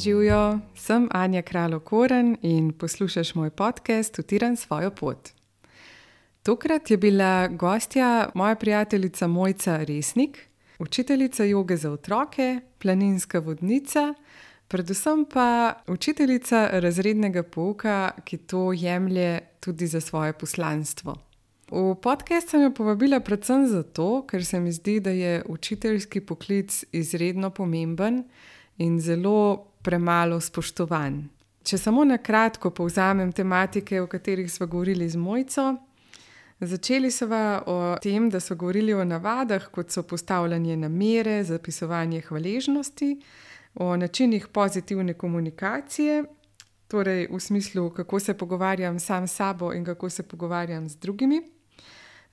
Živijo, sem Anja Kralj-Okoren in poslušaš moj podcast Utiram svojo pot. Tokrat je bila gostja moja prijateljica Mojca Resnik, učiteljica joge za otroke, planinska vodnica, predvsem pa učiteljica razrednega pouka, ki to jemlje tudi za svoje poslanstvo. V podcast sem jo povabila predvsem zato, ker se mi zdi, da je učiteljski poklic izredno pomemben in zelo premalo spoštovan. Če samo na kratko povzamem tematike, o katerih sva govorili z Mojco. Začeli sva o tem, da sva govorili o navadah, kot so postavljanje namere, zapisovanje hvaležnosti, o načinih pozitivne komunikacije, torej v smislu, kako se pogovarjam sam s sabo in kako se pogovarjam z drugimi.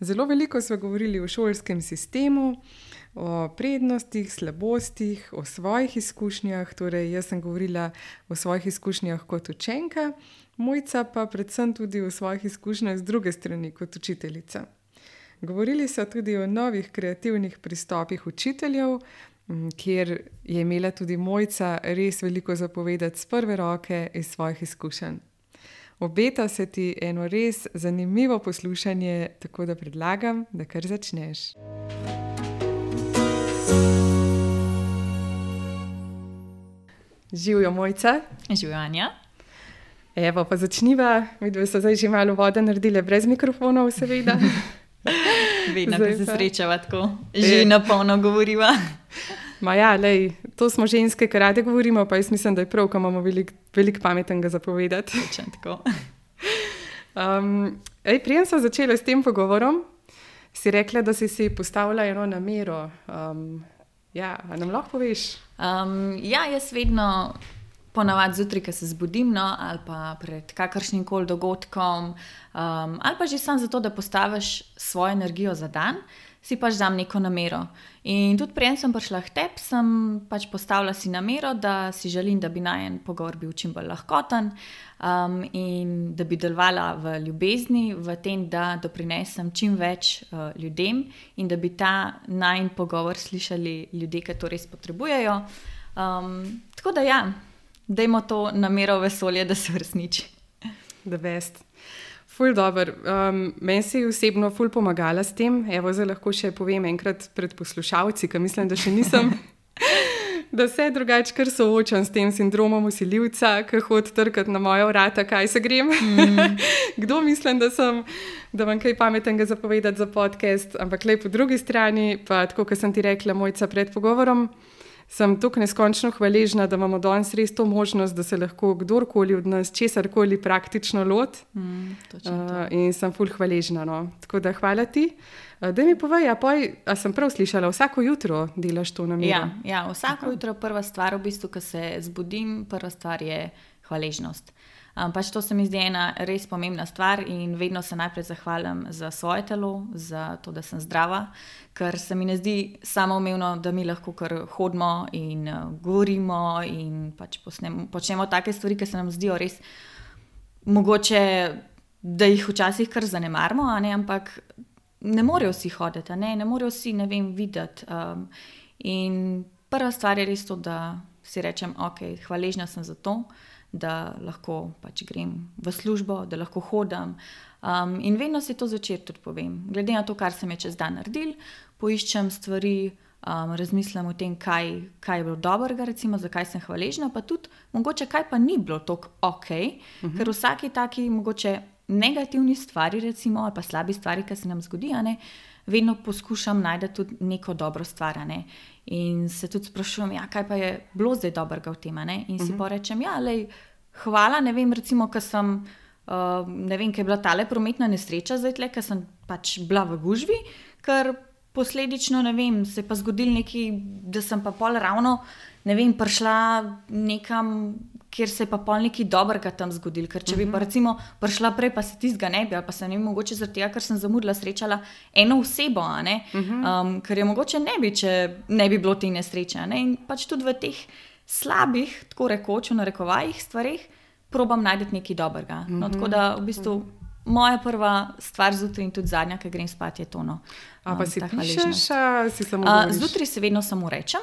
Zelo veliko sva govorili o šolskem sistemu, o prednostih, slabostih, o svojih izkušnjah, torej jaz sem govorila o svojih izkušnjah kot učenka, Mojca pa predvsem tudi o svojih izkušnjah z druge strani kot učiteljica. Govorili so tudi o novih kreativnih pristopih učiteljev, kjer je imela tudi Mojca res veliko zapovedati z prve roke iz svojih izkušenj. Obeta se ti eno res zanimivo poslušanje, tako da predlagam, da kar začneš. Živijo, Mojca. Živijo, Anja. Evo, pa začniva. Midve so zdaj že malo vode naredile brez mikrofonov, seveda. Vedno, ko se srečava tako, že na polno govoriva. Ja, lej, to smo ženske, ki rade govorimo, pa jaz mislim, da je prav, ko imamo veliko pametnega za povedati. Točno tako. Preden sem začela s tem pogovorom, si rekla, da si postavila eno namero. A nam lahko poveš? Jaz vedno ponavadi zjutraj, ko se zbudim, ali pa pred kakršnim koli dogodkom, ali pa že samo zato, da postaviš svojo energijo za dan, si pač dam neko namero. In tudi preden sem prišla k tebi, sem pač postavila si namero, da si želim, da bi najin pogovor bil čim bolj lahkoten in da bi delovala v ljubezni, v tem, da doprinesem čim več ljudem in da bi ta najin pogovor slišali ljudje, ki to res potrebujejo. Tako da dajmo to namero v vesolje, da se uresniči. The best. Ful dober. Meni si osebno ful pomagala s tem. Evo, zdaj lahko še povem enkrat pred poslušalci, ker mislim, da še nisem, da se drugače kar soočam s tem sindromom vsiljivca, ki hodi trkati na moja vrata, kaj se grem. Kdo mislim, da imam kaj pametnega zapovedati za podcast, ampak lej po drugi strani, pa tako, kot sem ti rekla, Mojca, pred pogovorom, sem tukaj neskončno hvaležna, da imamo danes res to možnost, da se lahko kdorkoli od nas česarkoli praktično loti. In sem ful hvaležna. Tako da hvala ti. Daj mi povej, a sem prav slišala, vsako jutro delaš to namero? Ja, vsako jutro prva stvar, v bistvu, ko se zbudim, prva stvar je hvaležnost. Pač to se mi zdi ena res pomembna stvar in vedno se najprej zahvalim za svoje telo, za to, da sem zdrava, ker se mi ne zdi samoumevno, da mi lahko kar hodimo in govorimo in pač počnemo take stvari, ki se nam zdijo res mogoče, da jih včasih kar zanemarimo, ampak ne morejo vsi hoditi, ne morejo vsi, videti. In prva stvar je res to, da si rečem, ok, hvaležna sem za to, da lahko pač grem v službo, da lahko hodim. In vedno si to zvečer tudi povem. Glede na to, kar sem je čez dan naredil, poiščem stvari, razmislim o tem, kaj je bilo dobrega, recimo, zakaj sem hvaležna, pa tudi mogoče kaj pa ni bilo tako ok, ker vsaki taki mogoče negativni stvari, recimo, ali pa slabi stvari, ki se nam zgodi, vedno poskušam najti tudi neko dobro stvar, in se tudi sprašujem, kaj pa je bilo zdaj dobrega v tem, in si pa rečem, hvala, recimo, ker sem, ker je bila tale prometna nesreča zdaj tle, ker sem pač bila v gužvi, ker posledično, se je pa zgodil nekaj, da sem pa pol ravno, prišla nekam, kjer se je pa pol nekaj dobrega tam zgodil, ker če bi pa recimo prišla prej, pa se tistega ne bi, ali pa se mogoče zaradi tega, ker sem zamudila, srečala eno osebo, ker je mogoče ne bi, če ne bi bilo te nesreče, in pač tudi v teh slabih, tako rekoč, v narekovajih stvareh, probam najti nekaj dobrega. Tako da v bistvu moja prva stvar zjutraj in tudi zadnja, ki grem spat, je to. Pa si pišeš, si samo govoriš? Zjutraj se vedno samo rečem.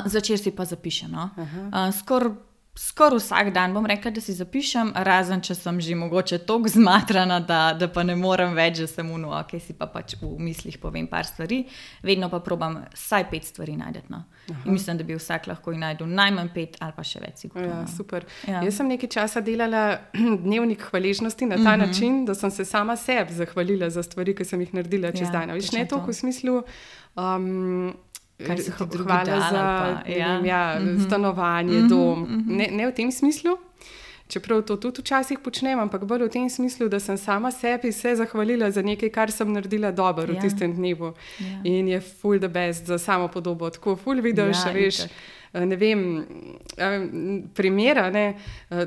Zvečer si pa zapišem. No? Skoraj vsak dan bom rekla, da si zapišem, razen če sem že mogoče toliko zmatrana, da pa ne morem več, da sem ok, si pa pač v mislih povem par stvari, vedno pa probam vsaj 5 stvari najdeti. No. In mislim, da bi vsak lahko najdel najmanj 5 ali pa še več. Sigurno, ja, super. Ja. Jaz sem nekaj časa delala dnevnik hvaležnosti na ta način, da sem se sama sebi zahvalila za stvari, ki sem jih naredila čez dan. Viš, ne toliko v smislu... hvala za stanovanje, dom. Ne v tem smislu, čeprav to tudi včasih počnem, ampak bolj v tem smislu, da sem sama sebi se zahvalila za nekaj, kar sem naredila dobro v tistem dnevu. In je ful the best za samo podobo. Tako ful vidiš, veš, ne vem, primera,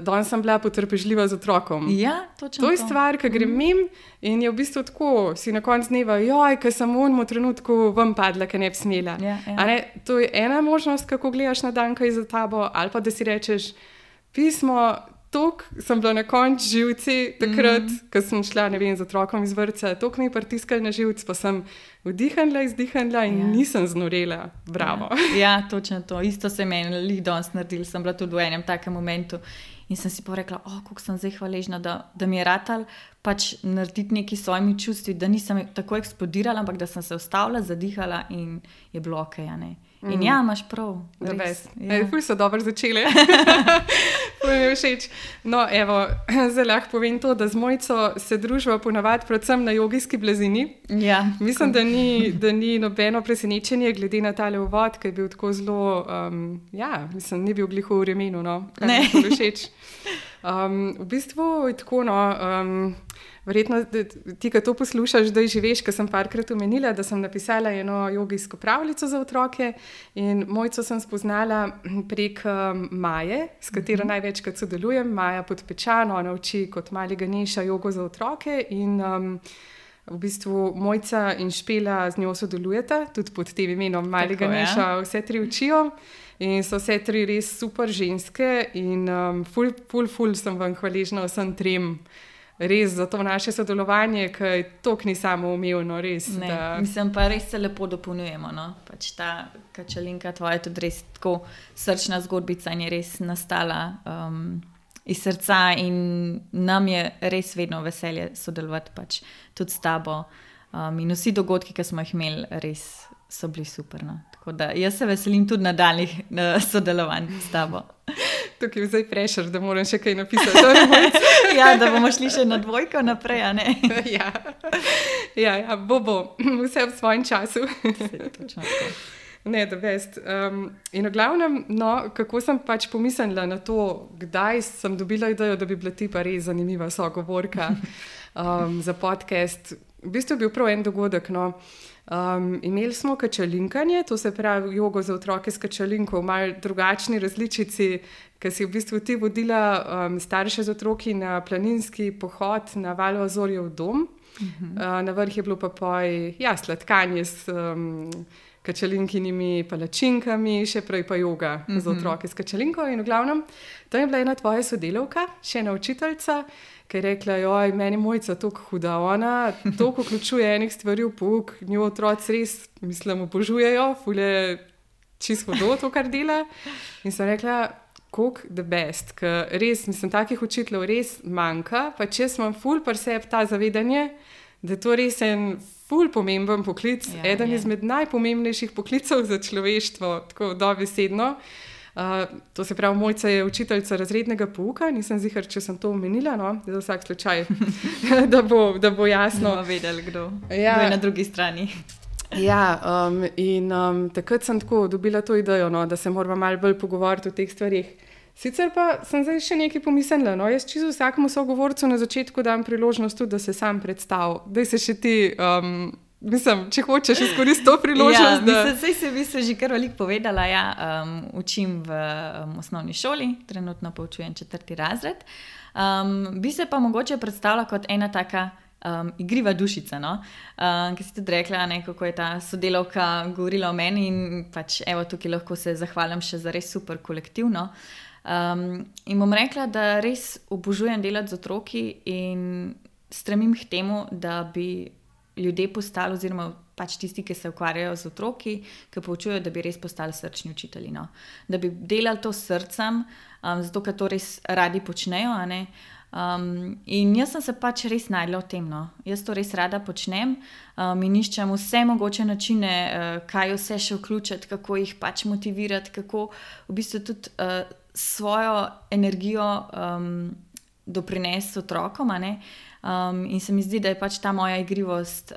danes sem bila potrpežljiva z otrokom. Ja, točno to je stvar, ki gre mim in je v bistvu tako, si na koncu dneva, ker sem v onem trenutku ven padla, ker ne bi smela. To je ena možnost, kako gledaš na dan, kaj je za tabo, ali pa da si rečeš, pismo, tok sem bila na koncu živci takrat, ko sem šla, ne vem, z otrokom iz vrtca, tok mi je pritiskal na živc, pa sem vdihnila, izdihnila in nisem znorela. Bravo. Ja, točno to. Isto se meni danes naredil, sem bila tudi v enem takem momentu in sem si pa rekla, koliko sem zdaj hvaležna, da mi je ratal pač narediti nekaj s svojimi čustvi, da nisem tako eksplodirala, ampak da sem se ustavila, zadihala in je bilo okej, ne. In ja, imaš prav. Ful so dobro začele. Ful mi je všeč. No, evo, zdaj lahko povem to, da z Mojco se družba ponavadi predvsem na jogijski blazini. Ja. Mislim, da ni nobeno presenečenje, glede na tale uvod, ki je bil tako zelo, mislim, ni bil glih v vremenu, no. Ne. Ful všeč. V bistvu je tako, no, verjetno ti, ki to poslušaš, da že veš, ker sem parkrat omenila, da sem napisala eno jogijsko pravljico za otroke in Mojco sem spoznala prek Maje, s katero največkrat sodelujem. Maja Podpečan, ona uči kot mali Ganeša jogo za otroke in v bistvu Mojca in Špela z njo sodelujeta, tudi pod tem imenom mali Ganeša, vse 3 učijo. In so vse 3 res super ženske in ful sem vam hvaležna vsem 3 res za to naše sodelovanje, ki je toliko ni samoumevno, res. Mislim pa res se lepo dopolnjujemo, no. Pač ta Kačalinka tvoja je tudi res tako srčna zgodbica in je res nastala iz srca in nam je res vedno veselje sodelovati pač tudi s tabo in vsi dogodki, ki smo jih imeli, res so bili super, no. Tako da jaz se veselim tudi nadaljnjih sodelovanj s tabo. Tukaj je zdaj prešer, da moram še kaj napisati. Ja, da bomo šli še na 2 naprej, a ne? Ja, bo. Vse v svojem času. Točno tako. Ne, da best. In v glavnem, no, kako sem pač pomislila na to, kdaj sem dobila idejo, da bi bila ti pa res zanimiva sogovorka za podcast. V bistvu je bil prav en dogodek, no. Imeli smo kačalinkanje, to se pravi jogo za otroke s kačalinko v malo drugačni različici, ker si v bistvu ti vodila starše z otroki na planinski pohod na Valu Azorjev dom. Na vrh je bilo pa sladkanje s kačalinkinimi palačinkami, še prej pa joga za otroke s kačalinko in v glavnem, to je bila ena tvoja sodelavka, še ena učiteljica, ki je rekla, meni Mojca toliko huda, ona toliko vključuje enih stvari v pouk, njo otroci res, mislim, obožujejo, ful je čisto hudo to, kar dela. In sem rekla, koliko the best, ker res, mislim, takih učiteljev res manjka, pa če sem ful pri sebi ta zavedanje, da je to res en ful pomemben poklic, eden izmed najpomembnejših poklicov za človeštvo, tako dobesedno. To se pravi, Mojca je učiteljica razrednega pouka, nisem ziher, če sem to omenila, no, za vsak slučaj, da bo jasno. Bomo vedeli, kdo je na drugi strani. In takrat sem tako dobila to idejo, no, da se moramo malo bolj pogovoriti o teh stvarih. Sicer pa sem zdaj še nekaj pomislila, no, jaz čisto vsakemu sogovorcu na začetku dam priložnost tudi, da se sam predstavi. Daj se še ti, mislim, če hočeš izkoristiti to priložnost. Mislim, se že kar veliko povedala, učim v osnovni šoli, trenutno poučujem 4. razred. Bi se pa mogoče predstavila kot ena taka igriva dušica, no? Ki si tudi rekla, kako je ta sodelavka govorila o meni in pač evo tukaj lahko se zahvalim še za res super kolektivno. In bom rekla, da res obožujem delati z otroki in stremim k temu, da bi ljudje postali, oziroma pač tisti, ki se ukvarjajo z otroki, ki poučujejo, da bi res postali srčni učitelji. No? Da bi delali to s srcem, zato ker to res radi počnejo. A ne? In jaz sem se pač res najdla v tem. No? Jaz to res rada počnem in iščem vse mogoče načine, kaj vse še vključiti, kako jih pač motivirati, kako v bistvu tudi svojo energijo doprinesti otrokom. A ne? In se mi zdi, da je pač ta moja igrivost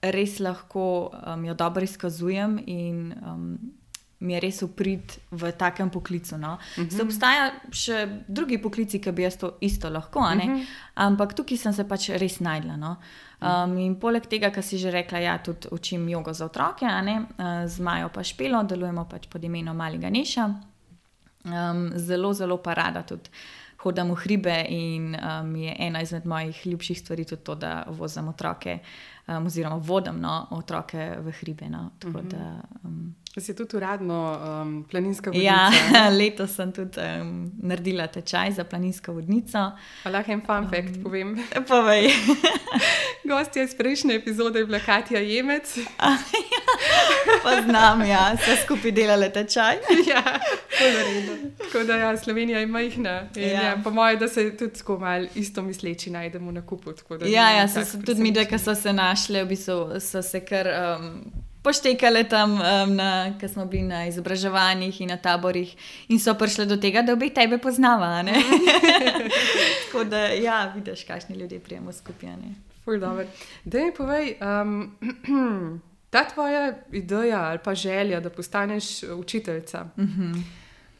res lahko jo dobro izkazujem in mi je res uprit v takem poklicu. No? Se obstaja še drugi poklici, ki bi jaz to isto lahko, a ne? Ampak tukaj sem se pač res najdla. No? In poleg tega, kar si že rekla, ja, tudi učim jogo za otroke, a ne? Z Majo pa Špelo, delujemo pač pod imenom Mali Ganeša. Zelo, zelo pa rada tudi hodim v hribe in je ena izmed mojih ljubših stvari tudi to, da vozim otroke, oziroma vodim otroke v hribe. No. Tako da, si tudi uradno planinska vodnica? Ja, letos sem tudi naredila tečaj za planinsko vodnico. Lahko en fun fact povem. Povej. Gostja iz prejšnje epizode je bila Katja Jemec. Poznam, ja, vse skupaj delale tečaj. Ja, tako da ja, Slovenija je majhna. Ja, po moje, da se tudi tako malo isto misleči najdemo na kupu. Ja, tudi mi, ki so se našle, v bistvu so se kar poštekale tam, ko smo bili na izobraževanjih in na taborih in so prišle do tega, da obe tebe poznava. Tako da, ja, vidiš, kakšni ljudje prijemo skupaj. Ful dobro. Daj mi povej, ta tvoja ideja ali pa želja, da postaneš učiteljica,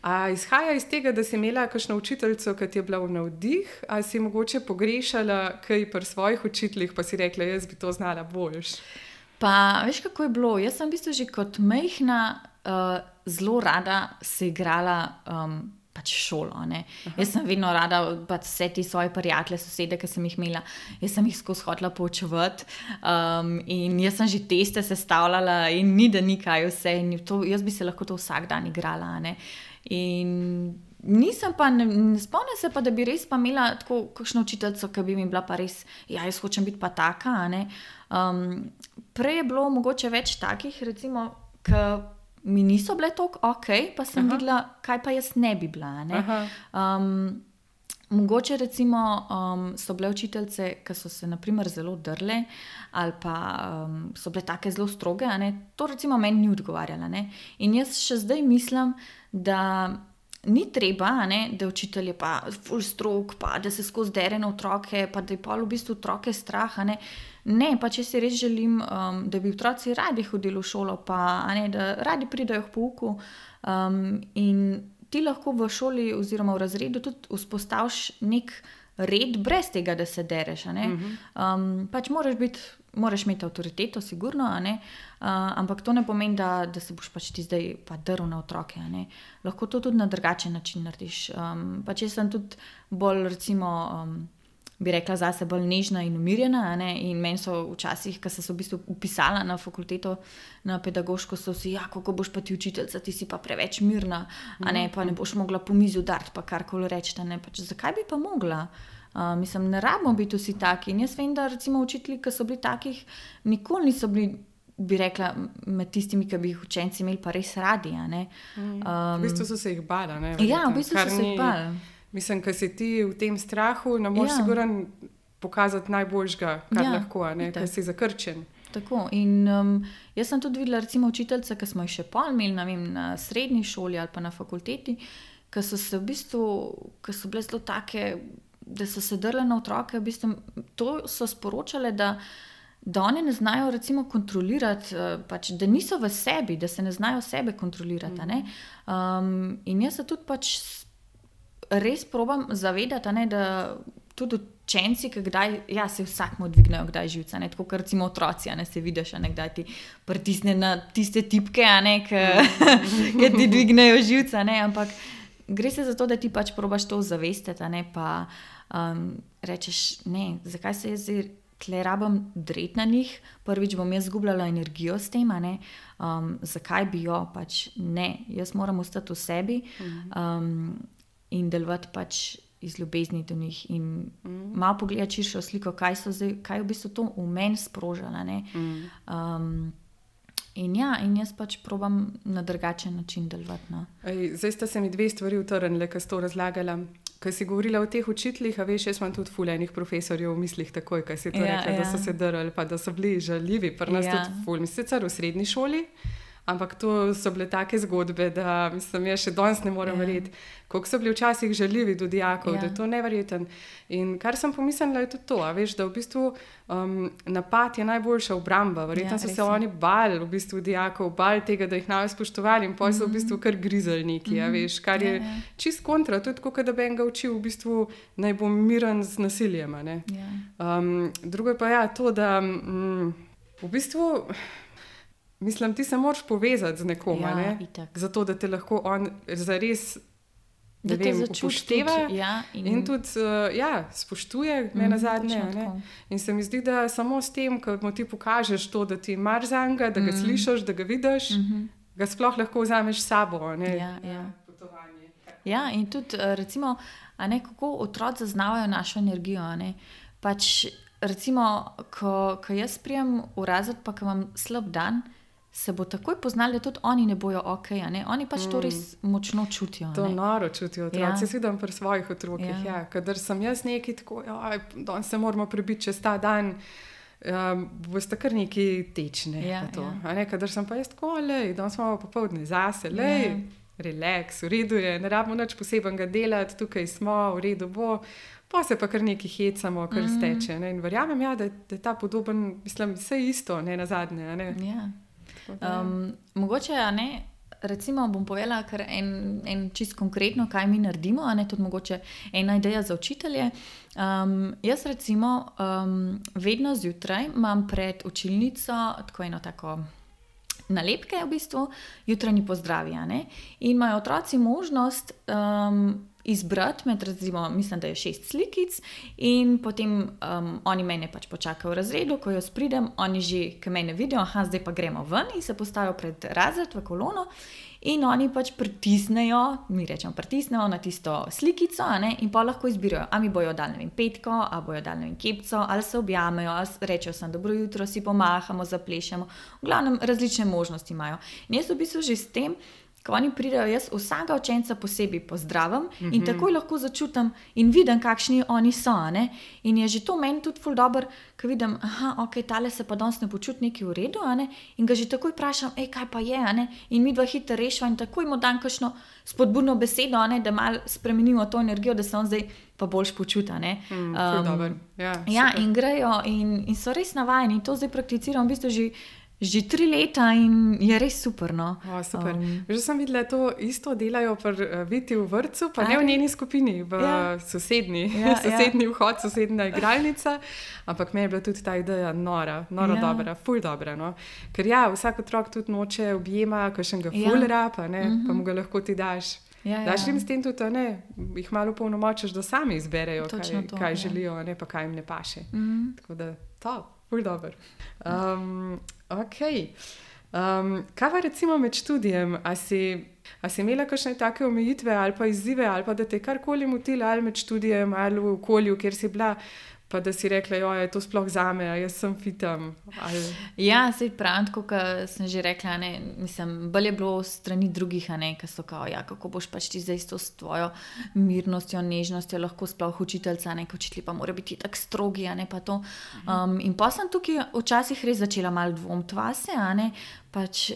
a izhaja iz tega, da si imela kakšno učiteljico, ki ti je bila v navdih, ali si mogoče pogrešala kaj pri svojih učiteljih, pa si rekla, jaz bi to znala boljš? Pa veš, kako je bilo? Jaz sem v bistvu že kot majhna zelo rada se igrala pač šolo. Jaz sem vedno rada pač vse te svoje prijatelje, sosede, ki sem jih imela, jaz sem jih skozi hotela poučevati in jaz sem že teste sestavljala in ni da nikaj vse in jaz bi se lahko to vsak dan igrala. In nisem pa, ne spomnim se pa, da bi res pa imela tako kakšno učiteljico, ki bi mi bila pa res, ja, jaz hočem biti pa taka. Prej je bilo mogoče več takih, recimo, ki mi niso bile toliko ok, pa sem videla, kaj pa jaz ne bi bila. Mogoče recimo so bile učiteljice, ki so se naprimer zelo drle ali pa so bile take zelo stroge, to recimo meni ni odgovarjala. In jaz še zdaj mislim, da ni treba, da učitelj je pa ful strog, pa da se skozi dere na otroke, pa da je pol v bistvu otroke strah. Ne, pa če si res želim, da bi otroci radi hodili v šolo, pa da radi pridajo k pouku in ti lahko v šoli oziroma v razredu tudi vzpostaviš nek red brez tega, da se dereš. Pač moraš imeti avtoriteto, sigurno, ampak to ne pomeni, da se boš pač ti zdaj pa drl na otroke. Lahko to tudi na drugačen način narediš. Pač jaz sem tudi bolj, recimo, bi rekla zase bolj nežna in umirjena, in meni so včasih, ko sem se v bistvu upisala na fakulteto, na pedagoško, so si, ja, kako boš pa ti učiteljica, ti si pa preveč mirna, pa ne boš mogla po mizi udariti, pa karkoli reči, pač zakaj bi pa mogla? Mislim, ne rabimo biti vsi taki. In jaz vem, da recimo učitelji, ki so bili takih, nikoli niso bili, bi rekla, med tistimi, ki bi jih učenci imeli pa res radi. V bistvu so se jih bala. Ja, v bistvu so se jih bala. Mislim, ker si ti v tem strahu, ne moreš sigurno pokazati najboljšega, kar lahko, ker si zakrčen. Tako. In jaz sem tudi videla recimo učiteljice, ki smo jih še pol imeli, ne vem, na srednji šoli ali pa na fakulteti, ki so se v bistvu, ki so bile zelo take, da so se drle na otroke, v bistvu to so sporočale, da oni ne znajo recimo kontrolirati, pač, da niso v sebi, da se ne znajo sebe kontrolirati. In jaz se tudi pač res probam zavedati, da tudi učenci, ki kdaj, ja, se vsakmu dvignejo kdaj živca, tako kot recimo otroci, se vidiš, kdaj ti pritisne na tiste tipke, ki ti dvignejo živca, ampak gre se za to, da ti pač probaš to zavestiti, pa rečeš, ne, zakaj se jaz tle rabim dreti na njih, prvič bom jaz zgubljala energijo s tem, zakaj bi jo, pač ne, jaz moram ostati v sebi in delovati pač iz ljubezni do njih in malo pogledati širšo sliko, kaj je v bistvu to v meni sprožalo. In jaz pač probam na drugačen način delovati. No. Zdaj sta se mi dve stvari utrnile, ko si to razlagala. Ko si govorila o teh učiteljih, a veš, jaz imam tudi ful enih profesorjev v mislih takoj, ko si to rekla, da so se drli, pa da so bili žaljivi, pri nas tudi ful. Mislim, sicer v srednji šoli, ampak to so bile take zgodbe, da mislim, jaz še danes ne morem verjeti, koliko so bili včasih žaljivi do dijakov, da je to neverjeten. In kar sem pomislila, je tudi to, a veš, da v bistvu napad je najboljša obramba. Verjetno so se oni bali v bistvu dijakov, bali tega, da jih naj spoštovali in potem so v bistvu kar grizali neki, a veš, kar je čist kontra, tudi tako, da bi enega učil v bistvu naj bo miren z nasiljem, a ne. Drugo je pa to, da v bistvu mislim, ti se moraš povezati z nekom, ne? Zato, da te lahko on zares upošteva in tudi spoštuje nenazadnje. In se mi zdi, da samo s tem, ko mu ti pokažeš to, da ti mar zanj, da ga slišiš, da ga vidiš, ga sploh lahko vzameš s sabo. Ja, in tudi recimo, kako otroci zaznavajo našo energijo. Pač recimo, ko jaz prijem v razred, pa ko imam slab dan, se bo takoj poznali, da tudi oni ne bojo okej, oni pač to res močno čutijo. To noro čutijo otroci, jaz vidim pri svojih otrokih, kadar sem jaz neki tako, danes se moramo prebiti čez ta dan, boste kar neki tečne. Kadar sem pa jaz tako, danes imamo popoldne zase, relax, v redu je, ne rabimo nič posebenega delati, tukaj smo, v redu bo, pa se pa kar neki hecamo, kar steče. In verjamem, da je ta podoben, mislim, vse isto, ne nazadnje. Mogoče, recimo bom povedala kar en čist konkretno, kaj mi naredimo, tudi mogoče ena ideja za učitelje. Jaz recimo vedno zjutraj imam pred učilnico tako eno tako nalepke, v bistvu jutranji pozdravi, in imajo otroci možnost izbrati med, recimo, mislim, da je 6 slikic in potem oni mene pač počakajo v razredu, ko jaz pridem, oni že, ki mene vidijo, zdaj pa gremo ven in se postavijo pred razred v kolono in oni pač pritisnejo, mi rečemo pritisnejo na tisto slikico, in pa lahko izbirajo, a mi bojo dali, petko, a bojo dali kepco, ali se objamejo, ali rečejo sem dobro jutro, si pomahamo, zaplešemo, v glavnem različne možnosti imajo. In jaz v bistvu že s tem, ko oni pridejo, jaz vsakega učenca posebej pozdravim in takoj lahko začutim in vidim, kakšni oni so. In je že to meni tudi ful dobro, ko vidim, tale se pa danes ne počuti nekaj v redu, in ga že takoj vprašam, kaj pa je, in mi dva hitro rešiva in takoj mu dam kakšno spodbudno besedo, da malo spremenimo to energijo, da se on zdaj pa boljš počuta. In grejo in so res navajeni. To zdaj prakticiram v bistvu že 3 leta in je res super. Super. Že sem videla, to isto delajo pri Viti v vrtcu, pa ne v njeni skupini, v sosednji vhod, sosednja igralnica, ampak meni je bila tudi ta ideja noro dobra, ful dobra. Ker vsak otrok tudi noče objema, kakšnega fulera, pa mu ga lahko ti daš. Daš jim s tem tudi, jih malo polnomočiš, da sami izberejo, kaj želijo, pa kaj jim ne paše. Tako da ful dobro. Kaj pa recimo med študijem? A si imela kakšne take omejitve ali pa izzive, ali pa da te karkoli motila ali med študijem ali v okolju, kjer si bila, pa da si rekla, je to sploh zame, jaz sem fitam? Sej pravim, tako kot sem že rekla, mislim, bolj je bilo strani drugih, ki so kao, kako boš pač ti zdaj s tvojo mirnostjo, nežnostjo lahko sploh učiteljca, ko učitelji pa morajo biti tako strogi, pa to. In pa sem tukaj včasih res začela malo dvomiti vase, pač,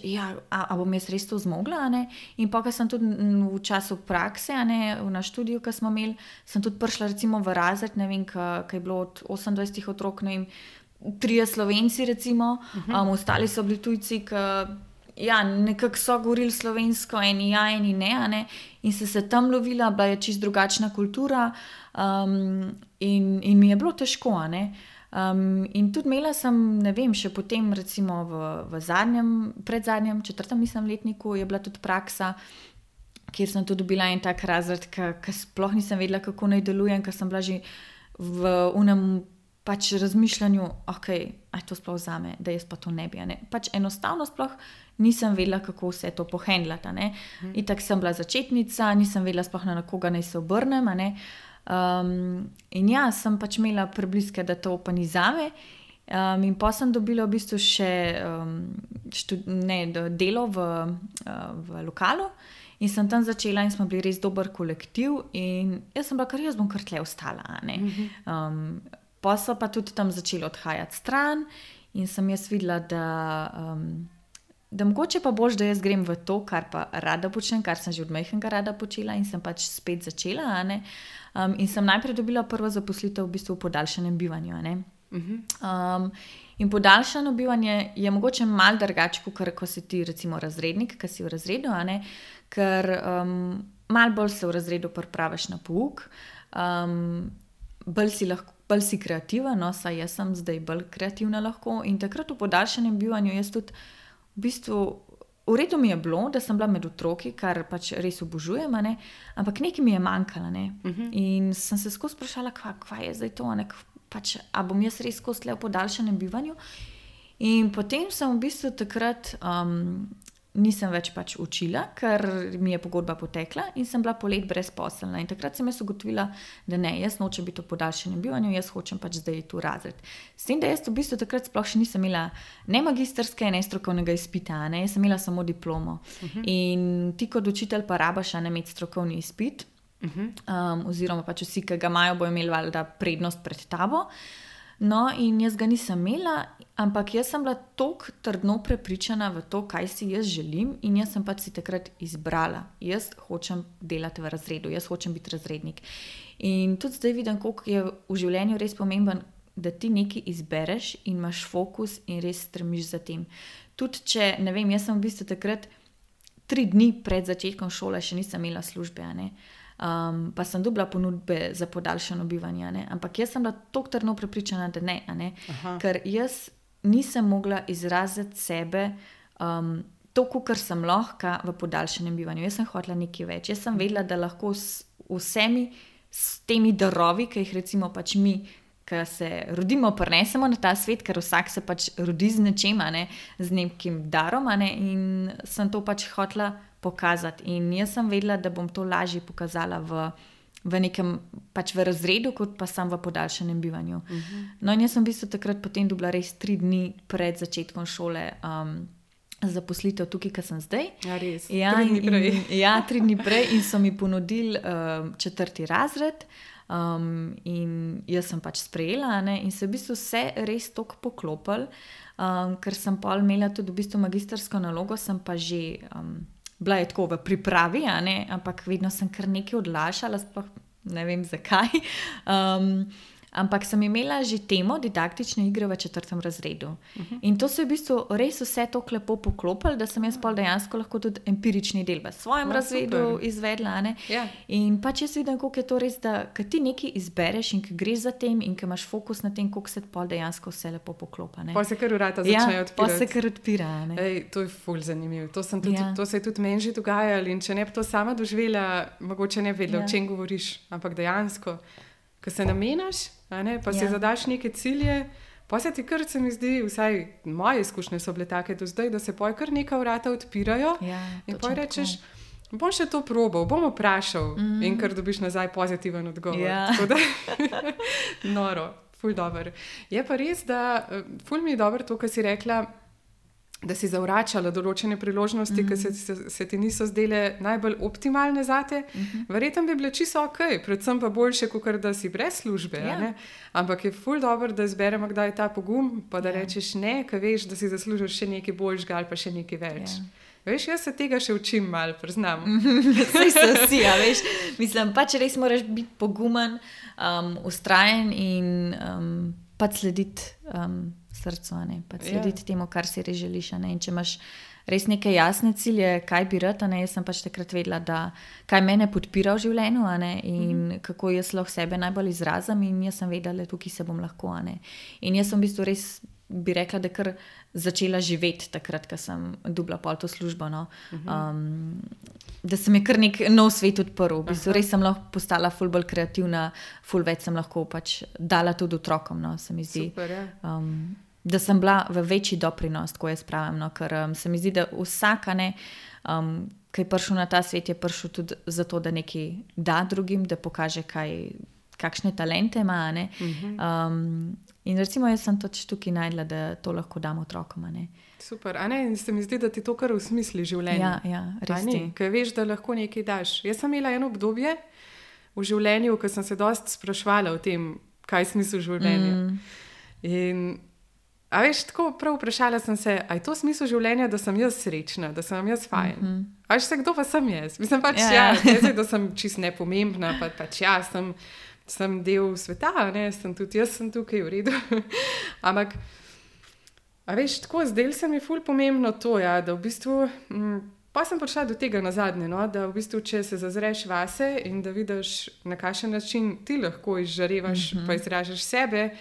a bom jaz res to zmogla, in pa, ko sem tudi v času prakse, na študiju, ko smo imeli, sem tudi prišla recimo v razred, ko je bilo od 28 otrok, 3 Slovenci recimo, ostali so bili tujci, nekako so govorili slovensko, eni ne, in se tam lovila, bila je čisto drugačna kultura, in mi je bilo težko, in tudi imela sem, še potem recimo v predzadnjem, 4. letniku je bila tudi praksa, kjer sem tudi dobila en tak razred, ki sploh nisem vedela, kako naj delujem, ker sem bila že v unem pač razmišljanju, aj to sploh zame, da jaz pa to ne bi. Pač enostavno sploh nisem vedela, kako vse to pohendlati. In tako sem bila začetnica, nisem vedela sploh na koga naj se obrnem. In ja, sem pač imela prebliske, da to pa ni zame. In pa sem dobila v bistvu še delo v lokalu in sem tam začela in smo bili res dober kolektiv in jaz sem bila, jaz bom kar tle ostala. Pa so pa tudi tam začeli odhajati stran in sem jaz videla, da mogoče pa boš, da jaz grem v to, kar pa rada počnem, kar sem že od majhnega rada počela in sem pač spet začela. In sem najprej dobila prvo zaposlitev v bistvu v podaljšanem bivanju. In podaljšano bivanje je mogoče malo drugače, kot ko si ti recimo razrednik, ki si v razredu, ker malo bolj se v razredu pripraviš na pouk, bolj si kreativa, no, saj jaz sem zdaj bolj kreativna lahko in takrat v podaljšanem bivanju jaz tudi v bistvu v redu mi je bilo, da sem bila med otroki, kar pač res obožujem, ampak nekaj mi je manjkalo. In sem se skozi sprašala, kva je zdaj to, pač, a bom jaz res skozi tle v podaljšanem bivanju. In potem sem v bistvu takrat nisem več pač učila, ker mi je pogodba potekla in sem bila polet brezposelna. In takrat sem jaz ugotovila, da ne, jaz nočem biti v podaljšanem bivanju, jaz hočem pač zdaj tu razred. S tem, da jaz v bistvu takrat sploh še nisem imela ne magistrske, ne strokovnega izpita, jaz sem imela samo diplomo. In ti kot učitelj pa rabaš imeti strokovni izpit, oziroma pač vsi, ki ga imajo, bojo imeli valjda prednost pred tabo. No, in jaz ga nisem imela, ampak jaz sem bila toliko trdno prepričana v to, kaj si jaz želim in jaz sem pač si takrat izbrala. Jaz hočem delati v razredu, jaz hočem biti razrednik. In tudi zdaj vidim, koliko je v življenju res pomemben, da ti nekaj izbereš in imaš fokus in res stremiš za tem. Tudi če, ne vem, jaz sem v bistvu takrat 3 dni pred začetkom šole še nisem imela službe, pa sem dobila ponudbe za podaljšano bivanje, ampak jaz sem bila toliko trdno prepričana, da ne, ker jaz nisem mogla izraziti sebe toliko, kar sem lahko v podaljšanem bivanju. Jaz sem hotela nekaj več. Jaz sem vedela, da lahko s vsemi s temi darovi, ki jih recimo pač mi, ki se rodimo, prinesemo na ta svet, ker vsak se pač rodi z nečem, z nekim darom, in sem to pač hotela pokazati. In jaz sem vedela, da bom to lažje pokazala v nekem pač v razredu, kot pa sam v podaljšanem bivanju. No, in jaz sem v bistvu takrat potem dobila res 3 dni pred začetkom šole zaposlitev tukaj, ki sem zdaj. Ja, res. 3 dni prej. Ja, 3 dni prej in so mi ponudili 4. razred. In jaz sem pač sprejela, in se v bistvu vse res toliko poklopili, ker sem pol imela tudi v bistvu magistrsko nalogo, sem pa že bila je tako v pripravi, ampak vedno sem kar nekaj odlašala, sploh ne vem zakaj. Ampak sem imela že temo didaktične igre v 4. razredu. In to se je v bistvu res vse tako lepo poklopilo, da sem jaz pol dejansko lahko tudi empirični del v svojem razredu izvedla. Ja. In pač jaz vidim, koliko je to res, da ko ti nekaj izbereš in ko greš za tem in ko imaš fokus na tem, koliko se pol dejansko vse lepo poklopa. Pa se kar vrata začnejo odpirati. Pa se kar odpira. To je ful zanimivo. To se je tudi meni že dogajalo in če ne bi to sama doživela, mogoče ne vedela, o čem govoriš, ampak dejansko, ko se namenaš, pa si zadaš neke cilje, pa se ti kar, se mi zdi, vsaj moje izkušnje so bile take do zdaj, da se poj kar neka vrata odpirajo in poj rečeš, bom še to probal, bom vprašal in kar dobiš nazaj pozitiven odgovor. Tako da, noro, ful dober. Je pa res, da ful mi je dobro to, kar si rekla, da si zavračala določene priložnosti, ki se ti niso zdele najbolj optimalne zate. Verjetno bi bile čisto okej, predvsem pa boljše, kot da si brez službe. Ampak je ful dobro, da zberemo kdaj ta pogum, pa da rečeš ne, ker veš, da si zaslužiš še nekaj boljšega ali pa še nekaj več. Veš, jaz se tega še učim malo, priznam. Saj so vsi, veš. Mislim, pač res moraš biti pogumen, vztrajen in pač slediti srcu, pa slediti temu, kar si res želiš. In če imaš res neke jasne cilje, kaj bi rad, jaz sem pač takrat vedela, da kaj mene podpira v življenju in kako jaz lahko sebe najbolj izrazim in jaz sem vedela, da tukaj se bom lahko. In jaz sem v bistvu res, bi rekla, da kar začela živeti takrat, ko sem dobila pol to službo. Da se mi kar nek nov svet odprl. V bistvu res sem lahko postala ful bolj kreativna, ful več sem lahko pač dala tudi otrokom, se mi zdi. Super, ja. Da sem bila v večji doprinos, ko jaz pravim, ker se mi zdi, da vsak, ki je prišel na ta svet, je prišel tudi zato, da nekaj da drugim, da pokaže, kaj kakšne talente ima. In recimo jaz sem toč tukaj najdla, da to lahko dam otrokom. Super, in se mi zdi, da ti to kar usmisli življenje. Ja, res ti. Ker veš, da lahko nekaj daš. Jaz sem imela eno obdobje v življenju, ko sem se dosti spraševala o tem, kaj je smisel življenja. In a veš, tako prav vprašala sem se, a je to smisel življenja, da sem jaz srečna, da sem jaz fajn. A veš se, kdo pa sem jaz? Mislim pač, da sem čist nepomembna, pač sem del sveta, jaz sem tukaj v redu. Ampak, a veš, tako, zdaj se mi ful pomembno to, da v bistvu, pa sem prišla do tega nazadnje, da v bistvu, če se zazreš vase in da vidiš, na kakšen način ti lahko izžarevaš, pa izražaš sebe,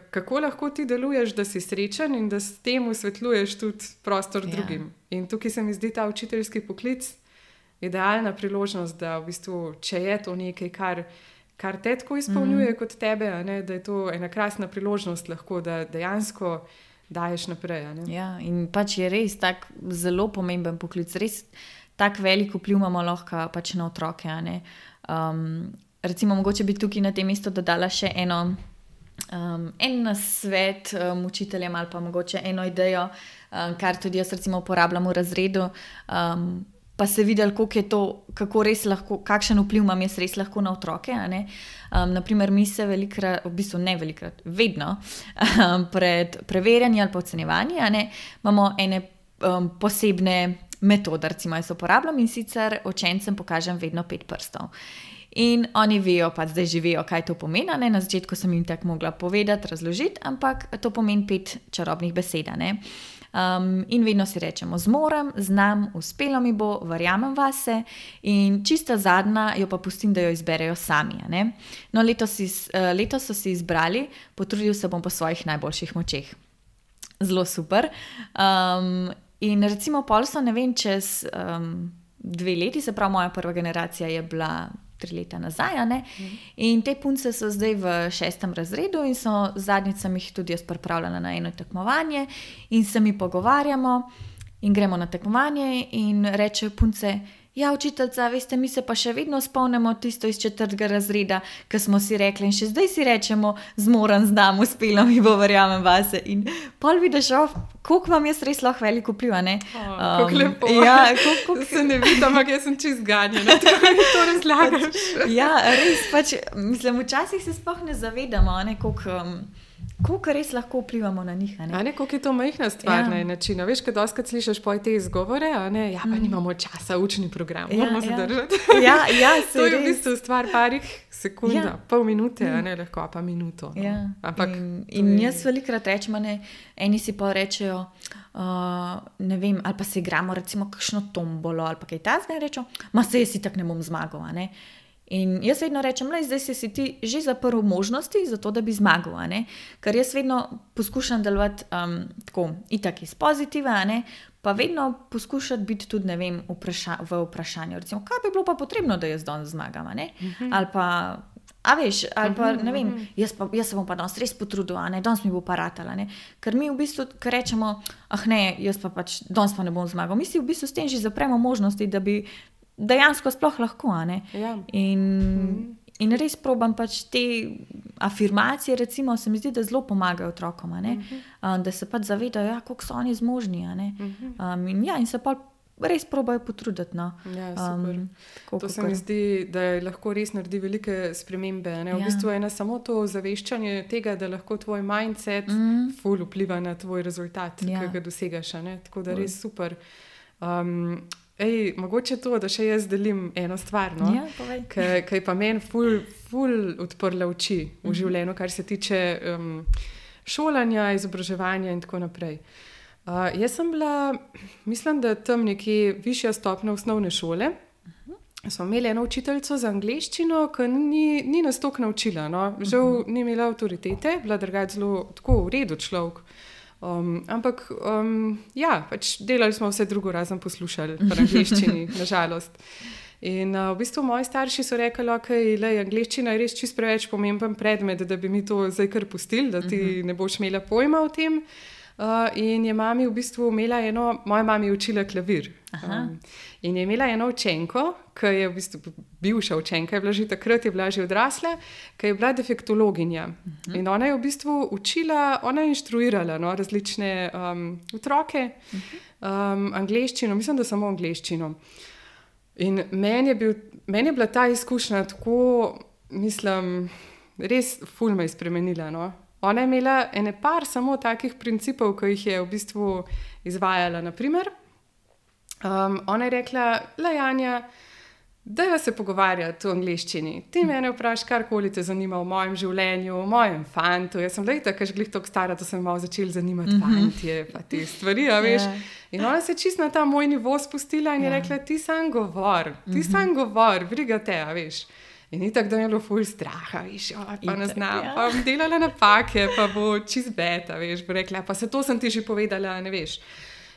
kako lahko ti deluješ, da si srečen in da s tem osvetljuješ tudi prostor drugim. In tukaj se mi zdi ta učiteljski poklic idealna priložnost, da v bistvu, če je to nekaj, kar te tako izpolnjuje kot tebe, da je to ena krasna priložnost lahko, da dejansko daješ naprej. Ja, in pač je res tak zelo pomemben poklic, res tak velik vpliv imamo lahko pač na otroke. Recimo, mogoče bi tukaj na tem mestu dodala še en nasvet učiteljem ali pa mogoče eno idejo, kar tudi jaz recimo uporabljam v razredu, pa se videli, kako res lahko, kakšen vpliv imam jaz res lahko na otroke. Naprimer, mi se velikrat, v bistvu ne velikrat, vedno pred preverjanjem ali pa ocenjevanjem imamo ene posebne metode, recimo jaz uporabljam in sicer učencem pokažem vedno 5 prstov. In oni vejo, pa zdaj že vejo, kaj to pomeni. Na začetku sem jim tako mogla povedati, razložiti, ampak to pomeni 5 čarobnih besed. In vedno si rečemo: zmorem, znam, uspelo mi bo, verjamem vase. In čista zadnja jo pa pustim, da jo izberejo sami. No, letos so si izbrali: potrudil se bom po svojih najboljših močeh. Zelo super. In recimo pol so, ne vem, čez 2 leti, se pravi moja prva generacija je bila 3 leta nazaj, in te punce so zdaj v 6. razredu in zadnjič sem jih tudi jaz pripravljala na eno tekmovanje in se mi pogovarjamo in gremo na tekmovanje in rečejo punce: ja, učiteljica, veste, mi se pa še vedno spomnimo tisto iz 4. razreda, ki smo si rekli, in še zdaj si rečemo: zmoren, znam, uspelo mi bo, verjamem vase. In pol vidiš, koliko vam jaz res lahko veliko vpliv, Kako lepo. Ja, se ne vidim, ampak jaz sem čist ganjena, tako mi to razlagaš. Ja, res, pač, mislim, včasih se sploh ne zavedamo, koliko res lahko vplivamo na njih. Koliko je to majhna stvar na način. Veš, kad doskrat slišiš te izgovore, pa nimamo časa, učni program, moramo se držati. To je v bistvu stvar parih sekund, pol minute, lahko pa minuto. Ampak, in jaz velikrat rečem, eni si pa rečejo, ne vem, ali pa se igramo recimo kakšno tombolo ali pa kaj takega in rečejo: ma se jaz itak ne bom zmagal. In jaz vedno rečem: zdaj si ti že zaprl možnosti za to, da bi zmagal. Ker jaz vedno poskušam delovati tako, itak iz pozitiva, pa vedno poskušati biti tudi, ne vem, v vprašanju. Recimo, kaj bi bilo pa potrebno, da jaz danes zmagam? Ali pa, ali pa, ne vem, jaz se bom pa danes res potrudil, danes mi bo pa ratala. Ker mi v bistvu, ker rečemo: jaz pa pač danes pa ne bom zmagal. Mi si v bistvu s tem že zapremo možnosti, da bi dejansko sploh lahko. In res probam pač te afirmacije, recimo, se mi zdi, da zelo pomagajo otrokom, da se pač zavedajo, koliko so oni zmožni. In se pa res probajo potruditi. Super. To se mi zdi, da lahko res naredi velike spremembe. V bistvu je samo to zaveščanje tega, da lahko tvoj mindset ful vpliva na tvoj rezultat, ki ga dosegaš. Tako da res super. Mogoče to, da še jaz delim eno stvar, ki je pa meni ful odprla oči v življenju, kar se tiče šolanja, izobraževanja in tako naprej. Jaz sem bila, mislim, da tam nekje višja stopnja osnovne šole. Smo imeli eno učiteljico za angleščino, ki ni nas toliko naučila. Žal ni imela avtoritete, bila drugače zelo tako v redu človek. Ampak pač delali smo vse drugo, razen poslušali v angleščini, nažalost. In v bistvu moji starši so rekli: angleščina je res čist preveč pomemben predmet, da bi mi to zdaj kar pustili, da ti ne boš imela pojma o tem. in je mami v bistvu imela moja mama je učila klavir. In je imela eno učenko, ki je v bistvu bivša učenka, je bila že takrat, je bila že odrasla, ki je bila defektologinja. In ona je v bistvu učila, ona je inštruirala različne otroke, angleščino, mislim, da samo angleščino. In meni je bila ta izkušnja tako, mislim, res ful me je spremenila. Ona je imela par samo takih principov, ki jih je v bistvu izvajala. Naprimer, ona je rekla, Janja, dajva se pogovarjati v angleščini. Ti mene vprašaj, karkoli te zanima v mojem življenju, v mojem fantu. Jaz sem tako glih toliko stara, da sem malo začela zanimati fantje, pa te stvari, veš. In ona se čisto na ta moj nivo spustila in je rekla, ti sam govor, briga te, veš. In itak, da mi je bilo ful straha, veš, pa ne znam, pa bom delala napake, pa bo čist beta, veš, bo rekla, pa se to sem ti že povedala, ne veš.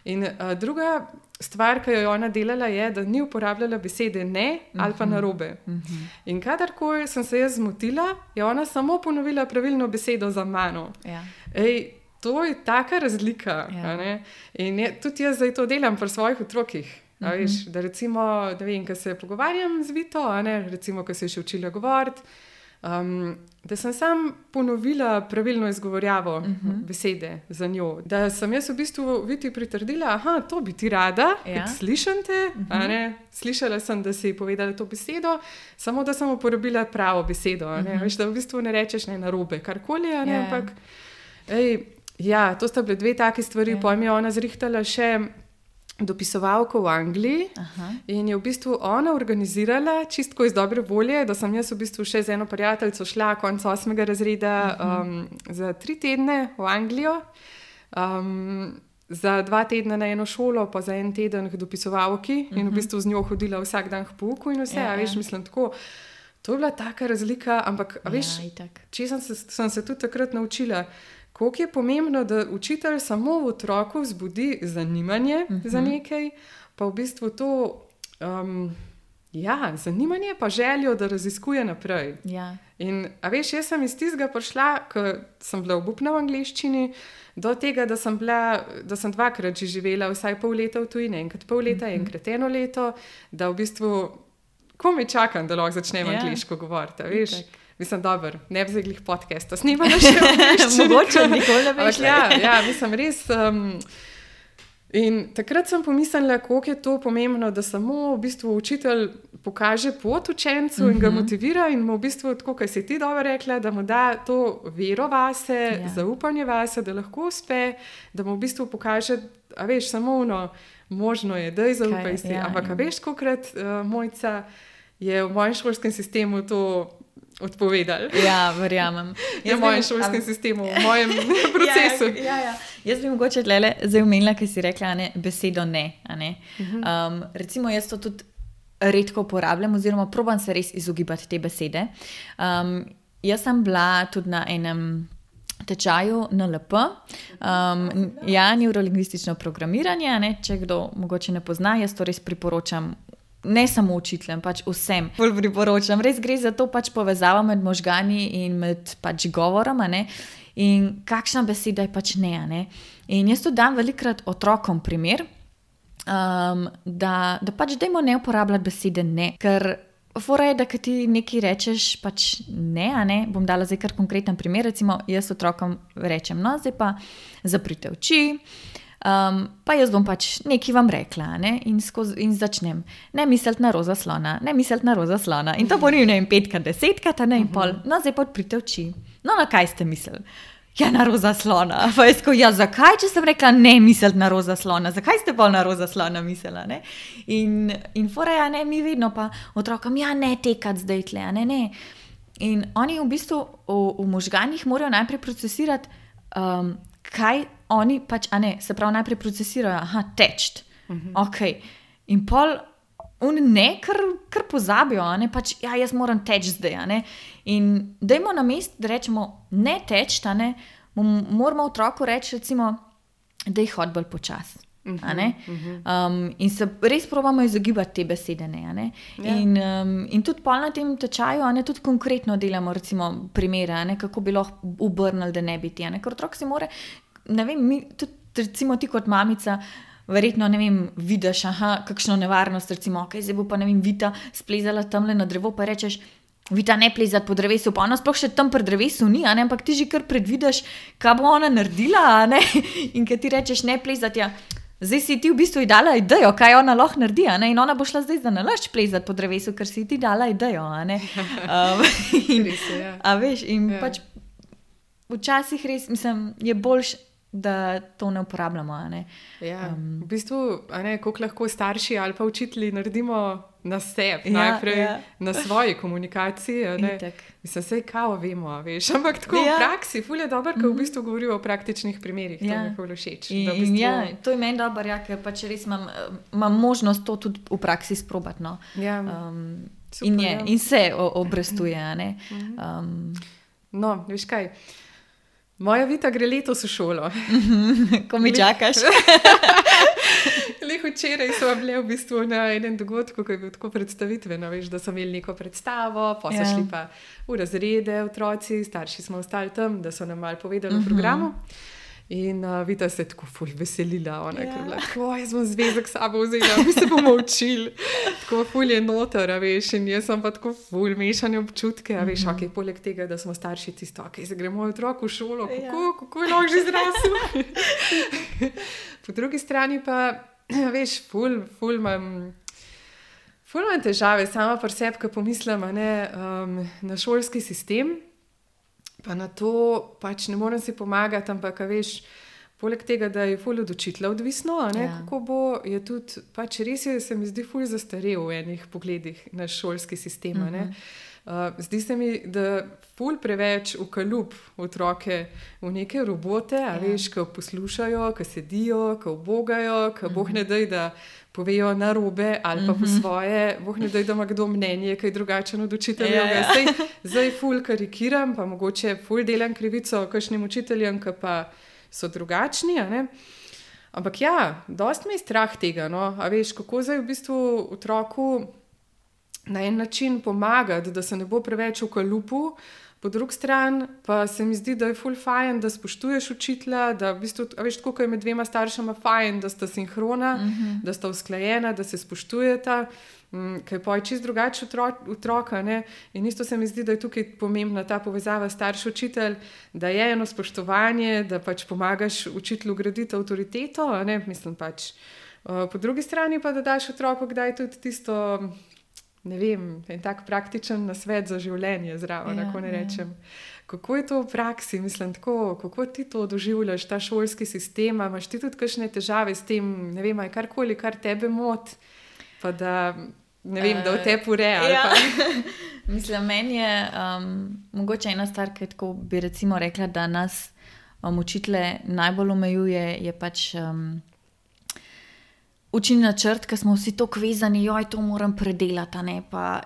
In druga stvar, ki jo je ona delala, je, da ni uporabljala besede ne ali pa narobe. In kadarkoli sem se jaz zmotila, je ona samo ponovila pravilno besedo za mano. To je taka razlika. In tudi jaz zdaj to delam pri svojih otrokih. Veš, da recimo, da vem, ko se pogovarjam z Vito, recimo, ko se je še učila govoriti, da sem sam ponovila pravilno izgovorjavo besede za njo. Da sem jaz v bistvu Viti pritrdila, to bi ti rada, slišam te, slišala sem, da si povedala to besedo, samo da sem uporabila pravo besedo, veš, da v bistvu ne rečeš narobe, karkoli, ampak to sta bile dve take stvari, potem je ona zrihtala še dopisovalko v Angliji in je v bistvu ona organizirala čistko iz dobre volje, da sem jaz v bistvu še z eno prijateljico šla konec 8. razreda za 3 tedne v Anglijo, za 2 tedne na eno šolo, pa za 1 teden k dopisovalki in v bistvu z njo hodila vsak dan k pouku in vse, veš, mislim tako, to je bila taka razlika, ampak veš, če sem se tudi takrat naučila, koliko je pomembno, da učitelj samo v otroku vzbudi zanimanje za nekaj, pa v bistvu to zanimanje pa željo, da raziskuje naprej. In veš, jaz sem iz tistega prišla, ko sem bila obupna v angleščini, do tega, da sem 2-krat že živela vsaj pol leta v tujini, enkrat pol leta, enkrat 1 leto, da v bistvu komaj čakam, da lahko začnem angleško govoriti, veš. Mislim, dobro, ne bi zdaj glih podcasta snimala še v angleščini. Mogoče, nikoli ne veš. Mislim, res. In takrat sem pomislila, koliko je to pomembno, da samo v bistvu učitelj pokaže pot učencu in ga motivira in mu v bistvu, tako kot si ti dobro rekla, da mu da to vero vase, zaupanje vase, da lahko uspe, da mu v bistvu pokaže, veš, samo možno je, da je zaupaj si. Ampak veš, kolikrat Mojca je v mojem šolskem sistemu to odpovedali. Verjamem. V mojem šolskem sistemu, v mojem procesu. Jaz bi mogoče zdaj omenila, kaj si rekla, besedo ne. Recimo, jaz to tudi redko uporabljam, oziroma probam se res izogibati te besede. Jaz sem bila tudi na enem tečaju NLP, neurolingvistično programiranje, če kdo mogoče ne pozna, jaz to res priporočam. Ne samo učiteljem, pač vsem bolj priporočam. Res gre za to pač povezavo med možgani in med pač govorom, in kakšna beseda je pač ne. In jaz to dam velikokrat otrokom primer, da pač dajmo ne uporabljati besede ne, ker fora je, da kad ti nekaj rečeš pač ne, bom dala zdaj kar konkreten primer, recimo jaz otrokom rečem, zdaj pa zaprite oči, pa jaz bom pač nekaj vam rekla, in začnem. Ne misliti na roza slona, ne misliti na roza slona. In to ponovim, 5-krat, 10-krat, in pol. Zdaj pa odprite oči. Na kaj ste mislili? Na roza slona. Pa jaz zakaj, če sem rekla ne misliti na roza slona? Zakaj ste pa na roza slona mislila, ne? In fora mi vedno pa otrokom, ne tekati zdaj tle, ne. In oni v bistvu v možganjih morajo najprej procesirati, kaj oni pač, se pravi najprej procesirajo, teči. In pol kar pozabijo, pač, jaz moram teči zdaj, In dajmo na mest, da rečemo ne teči, moramo otroku reči, recimo, da jih hodi bolj počas. In se res probamo izogibati te besede, ne. In tudi pol na tem tečaju, tudi konkretno delamo, recimo, primere, kako bi lahko obrnili, da ne bi ti, ker otrok si mora ne vem, tudi recimo ti kot mamica, verjetno, ne vem, vidiš, kakšno nevarnost, recimo, zdaj bo pa, ne vem, Vita splezala tamle na drevo, pa rečeš, Vita ne plezati po drevesu, pa ona sploh še tam pri drevesu ni, ampak ti že kar predvidiš, kaj bo ona naredila, in kaj ti rečeš, ne plezati, ja. Zdaj si ti v bistvu dala idejo, kaj ona lahko naredi, in ona bo šla zdaj za nalašč plezati po drevesu, ker si ti dala idejo, A veš, in pač včasih res, mislim, je boljš, da to ne uporabljamo, Ja, v bistvu, koliko lahko starši ali pa učitelji naredimo na sebi, najprej na svoji komunikaciji, Mislim, sej kao vemo, veš, ampak tako v praksi, ful je dobro, ko v bistvu govorijo o praktičnih primerih, to mi je ful všeč. To je meni dobro, ker pač res imam možnost to tudi v praksi sprobati, no. Super, in se obrestuje, No, veš kaj, moja Vita gre letos v šolo. Ko mi čakaš. Včeraj smo bili v bistvu na enem dogodku, ko je bil tako predstavitveno, veš, da so imeli neko predstavo, pa so šli pa v razrede otroci, starši smo ostali tam, da so nam malo povedali o programu. In Vita se je tako ful veselila, ona je bila tako, jaz bom zvezek s sabo vzela, mi se bomo učili. Tako ful je noter, veš, in jaz sem pa tako ful mešane občutke, veš, poleg tega, da smo starši tisto, zdaj gre moj otrok v šolo, kako je lahko že zrasel. Po drugi strani pa, veš, ful imam težave sama pri sebi, ko pomislim, na šolski sistem, pa na to pač ne morem si pomagati, ampak veš, poleg tega, da je ful od učitelja odvisno, kako bo, je tudi, pač res je, se mi zdi ful zastarel v enih pogledih na šolski sistem, Zdi se mi, da ful preveč ukaljub otroke v neke robote, veš, ko poslušajo, ko sedijo, ko ubogajo, ko boh ne daj, da povejo narobe ali pa po svoje, boh ne daj, da ima kdo mnenje, kaj drugačen od učitelja. Zdaj ful karikiram, pa mogoče ful delam krivico kakšnim učiteljem, ki pa so drugačni, Ampak dosti me je strah tega, A veš, kako zdaj v bistvu otroku na en način pomagati, da se ne bo preveč v kaljupu, po drugi strani pa se mi zdi, da je ful fajn, da spoštuješ učitelja, da v bistvu, veš, tako kot je med dvema staršema fajn, da sta sinhrona, da sta usklajena, da se spoštujeta, ker je pa čisto drugače otroka, In isto se mi zdi, da je tukaj pomembna ta povezava starš-učitelj, da je eno spoštovanje, da pač pomagaš učitelju graditi avtoriteto, mislim pač. Po drugi strani pa, da daš otroku kdaj tudi tisto, ne vem, en tak praktičen nasvet za življenje zraven, kako ne rečem. Kako je to v praksi, mislim tako, kako ti to doživljaš, ta šolski sistem, imaš ti tudi kakšne težave s tem, ne vem, aj karkoli, kar tebe moti, pa da, ne vem, da v tebi ureja. Mislim, meni je mogoče ena stvar, ki tako bi recimo rekla, da nas učitelje najbolj omejuje, je pač učni načrt, ker smo vsi tako vezani, to moram predelati,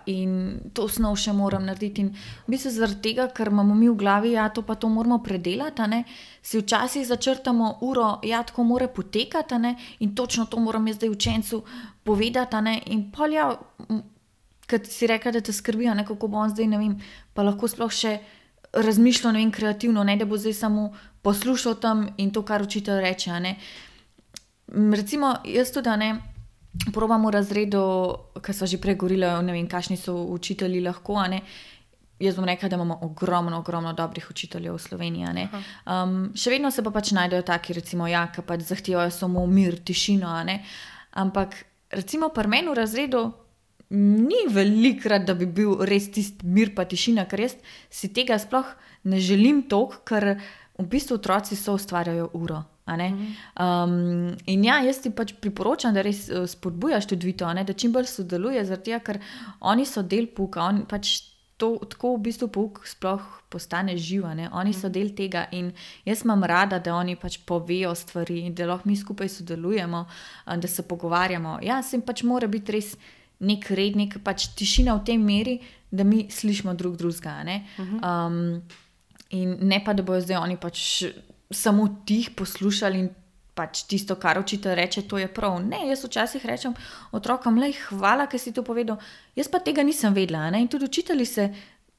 in to snov še moram narediti. In v bistvu zaradi tega, ker imamo mi v glavi, to pa to moramo predelati, si včasih začrtamo uro, tako mora potekati, in točno to moram jaz zdaj učencu povedati, in pol ker si rekla, da te skrbi, kako bo on zdaj, ne vem, pa lahko sploh še razmišljal, ne vem, kreativno, da bo zdaj samo poslušal tam in to, kar učitelj reče, Recimo, jaz tudi, probam v razredu, ker sva že prej govorila, ne vem, kakšni so učitelji lahko, Jaz bom rekla, da imamo ogromno dobrih učiteljev v Sloveniji, Še vedno se pa pač najdejo taki, recimo, ki pač zahtevajo samo mir, tišino, Ampak, recimo, pri meni v razredu ni velikrat, da bi bil res tisti mir pa tišina, ker jaz si tega sploh ne želim toliko, ker v bistvu otroci so ustvarjajo uro. In jaz ti pač priporočam, da res spodbujaš tudi Vito, da čim bolj sodeluje, zaradi tega, ker oni so del pouka, pač to, tako v bistvu pouk sploh postane živ, oni so del tega in jaz imam rada, da oni pač povejo stvari in da lahko mi skupaj sodelujemo, da se pogovarjamo. Se jim pač mora biti res nek red, nek pač tišina v tej meri, da mi slišimo drugega, in ne pa, da bojo zdaj oni pač samo tih poslušali in pač tisto, kar učitelj reče, to je prav. Ne, jaz včasih rečem otrokom, hvala, ker si to povedal, jaz pa tega nisem vedela, in tudi učitelji se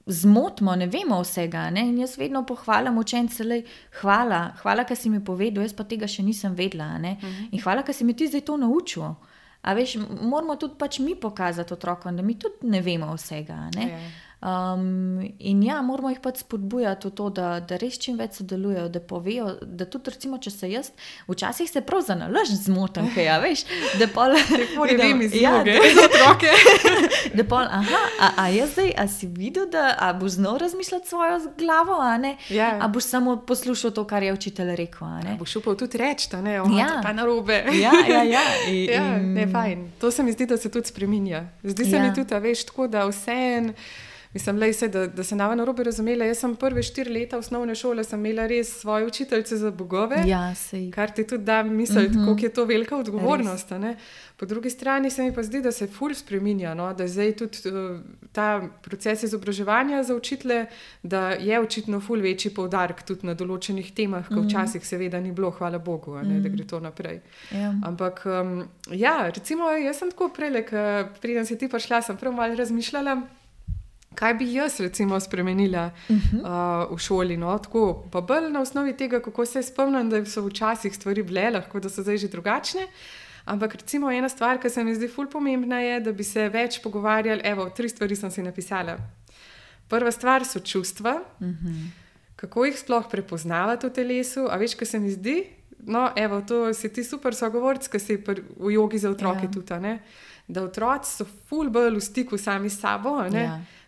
zmotimo, ne vemo vsega. Ne? In jaz vedno pohvalim učence, hvala, ker si mi povedal, jaz pa tega še nisem vedela. In hvala, ker si mi ti zdaj to naučil. A veš, moramo tudi pač mi pokazati otrokom, da mi tudi ne vemo vsega. In ja, moramo jih pač spodbujati v to, da res čim več sodelujejo, da povejo, da tudi recimo, če se jaz včasih se prav zanalaž zmotam, kaj ja, veš, da pol ne vem iz vloge za otroke. Da pol, a jaz zdaj, a si videl, da a boš znal razmišljati svojo glavo, a ne? A boš samo poslušal to, kar je učitelj rekel, a ne? Boš upal tudi reči, da ne, pa narobe. Ne, fajn. To se mi zdi, da se tudi spreminja. Zdi se mi tudi, a veš, tako da vseeno. Mislim, da se nava narobe razumela. Jaz sem prve 4 leta osnovne šole sem imela res svoje učiteljice za bogove, kar ti tudi da misliti, koliko je to velika odgovornost. Po drugi strani se mi pa zdi, da se ful spreminja, no? Da zdaj tudi ta proces izobraževanja za učitelje, da je očitno ful večji poudarek tudi na določenih temah, ko včasih seveda ni bilo, hvala Bogu, da gre to naprej. Ampak recimo jaz sem tako prejle, preden si ti prišla, sem prav malo razmišljala, kaj bi jaz recimo spremenila v šoli, no, tako, pa bolj na osnovi tega, kako se spomnim, da so včasih stvari bile, lahko da so zdaj že drugačne, ampak recimo ena stvar, ki se mi zdi ful pomembna je, da bi se več pogovarjali, 3 stvari sem si napisala. Prva stvar so čustva, kako jih sploh prepoznavati v telesu, a veš, kaj se mi zdi? No, to si ti super sogovorc, ki si v jogi za otroke tudi, ne? Da otroci so ful bolj v stiku sami s sabo,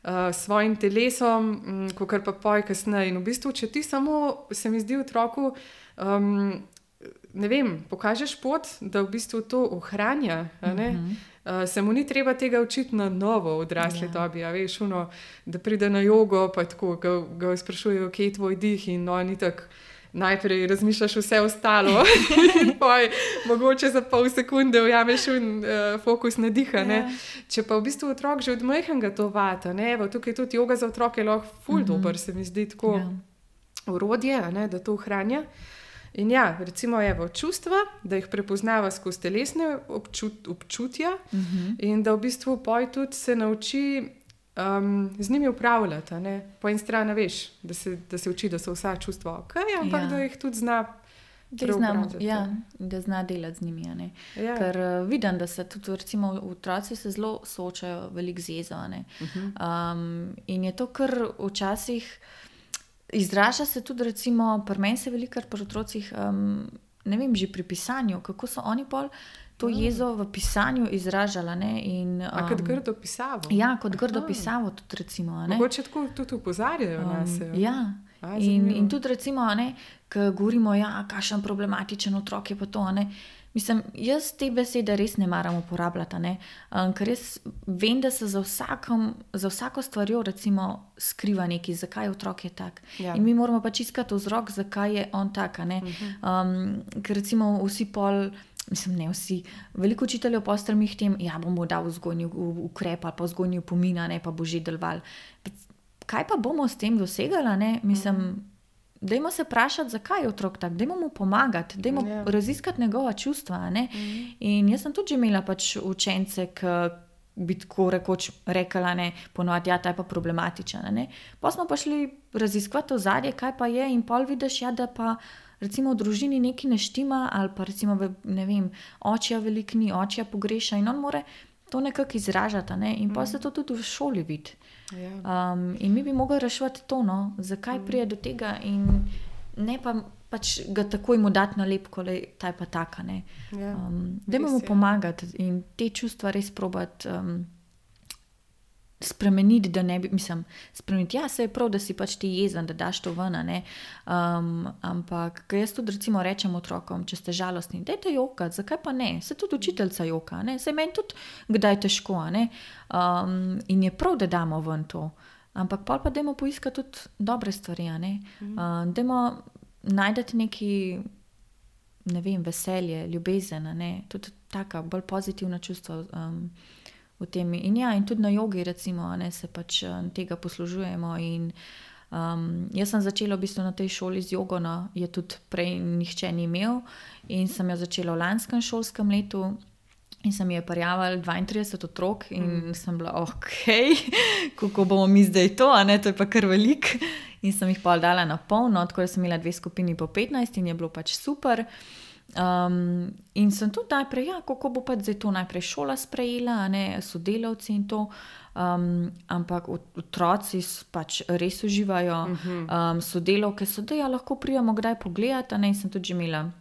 s svojim telesom, kakor pa poj kasneje. In v bistvu, če ti samo, se mi zdi otroku, ne vem, pokažeš pot, da v bistvu to ohranja, se mu ni treba tega učiti na novo v odrasli dobi, a veš, da pride na jogo, pa tako ga sprašujejo, kje je tvoj dih in ni tako. Najprej razmišljaš vse ostalo in poj, mogoče za pol sekunde ujameš fokus na diha. Če pa v bistvu otrok že od majhnega to vata, tukaj tudi joga za otroke je lahko ful dober, se mi zdi tako orodje, da to ohranja. In recimo čustva, da jih prepoznava skozi telesne občutja in da v bistvu poj tudi se nauči z njimi upravljati, po eni strani veš, da se uči, da so vsa čustva ampak da jih tudi zna preobraziti. Da zna delati z njimi, ker vidim, da se tudi recimo otroci se zelo soočajo veliko z jezo, in je to kar včasih izraža se tudi recimo, pri meni se velikokrat pri otrocih, ne vem, že pri pisanju, kako so oni pol to jezo v pisanju izražala. Kot grdo pisavo. Kot grdo pisavo tudi recimo. Mogoče tako tudi upozarjajo nas. In tudi recimo, ko govorimo, kakšen problematičen otrok je pa to. Mislim, jaz te besede res ne maram uporabljati, ker jaz vem, da se za vsako stvarjo recimo skriva nekaj, zakaj otrok je tak. In mi moramo pač iskati vzrok, zakaj je on tak. Ker recimo vsi pol, mislim, ne vsi, veliko učiteljev postremih tem, bomo dal vzgojni ukrep ali pa vzgojni opomin, pa bo že deloval. Kaj pa bomo s tem dosegali, mislim, dajmo se vprašati, zakaj je otrok tak, dajmo mu pomagati, dajmo raziskati njegova čustva. In jaz sem tudi že imela pač učence, ki bi tako rekoč rekla, ponovadi, ta je pa problematičen. Pa smo pa šli raziskovati ozadje, kaj pa je, in pol vidiš, da pa recimo v družini nekaj ne štima, ali pa recimo, ne vem, očija veliko ni, očija pogreša in on more to nekako izražati, in pa se to tudi v šoli vidi. In mi bi mogli reševati to, zakaj prije do tega in ne pa pač ga takoj mu dati nalepko, ta je pa taka. Dajmo mu pomagati in te čustva res probati spremeniti, da ne bi, mislim, spremeniti, se je prav, da si pač ti jezen, da daš to ven, ampak jaz tudi recimo rečem otrokom, če ste žalostni, dajte jokati, zakaj pa ne, se tudi učiteljca joka, se meni tudi kdaj težko, in je prav, da damo ven to, ampak pol pa dajmo poiskati tudi dobre stvari, dajmo najdeti neki, ne vem, veselje, ljubezen, tudi taka bolj pozitivna čustva v tem. In tudi na jogi recimo, se pač tega poslužujemo in jaz sem začela v bistvu na tej šoli z jogo, je tudi prej nihče ni imel in sem jo začela v lanskem šolskem letu In sem je prijavila 32 otrok in sem bila, kako bomo mi zdaj to, a ne, to je pa kar velik. In sem jih pa dala na polno, tako da sem imela 2 skupini po 15 in je bilo pač super. In sem tudi najprej, kako bo pač zdaj to najprej šola sprejela, a ne, sodelavci in to. Ampak otroci pač res uživajo, sodelavke so, da lahko prijemo kdaj pogledati, a ne, in sem tudi že imela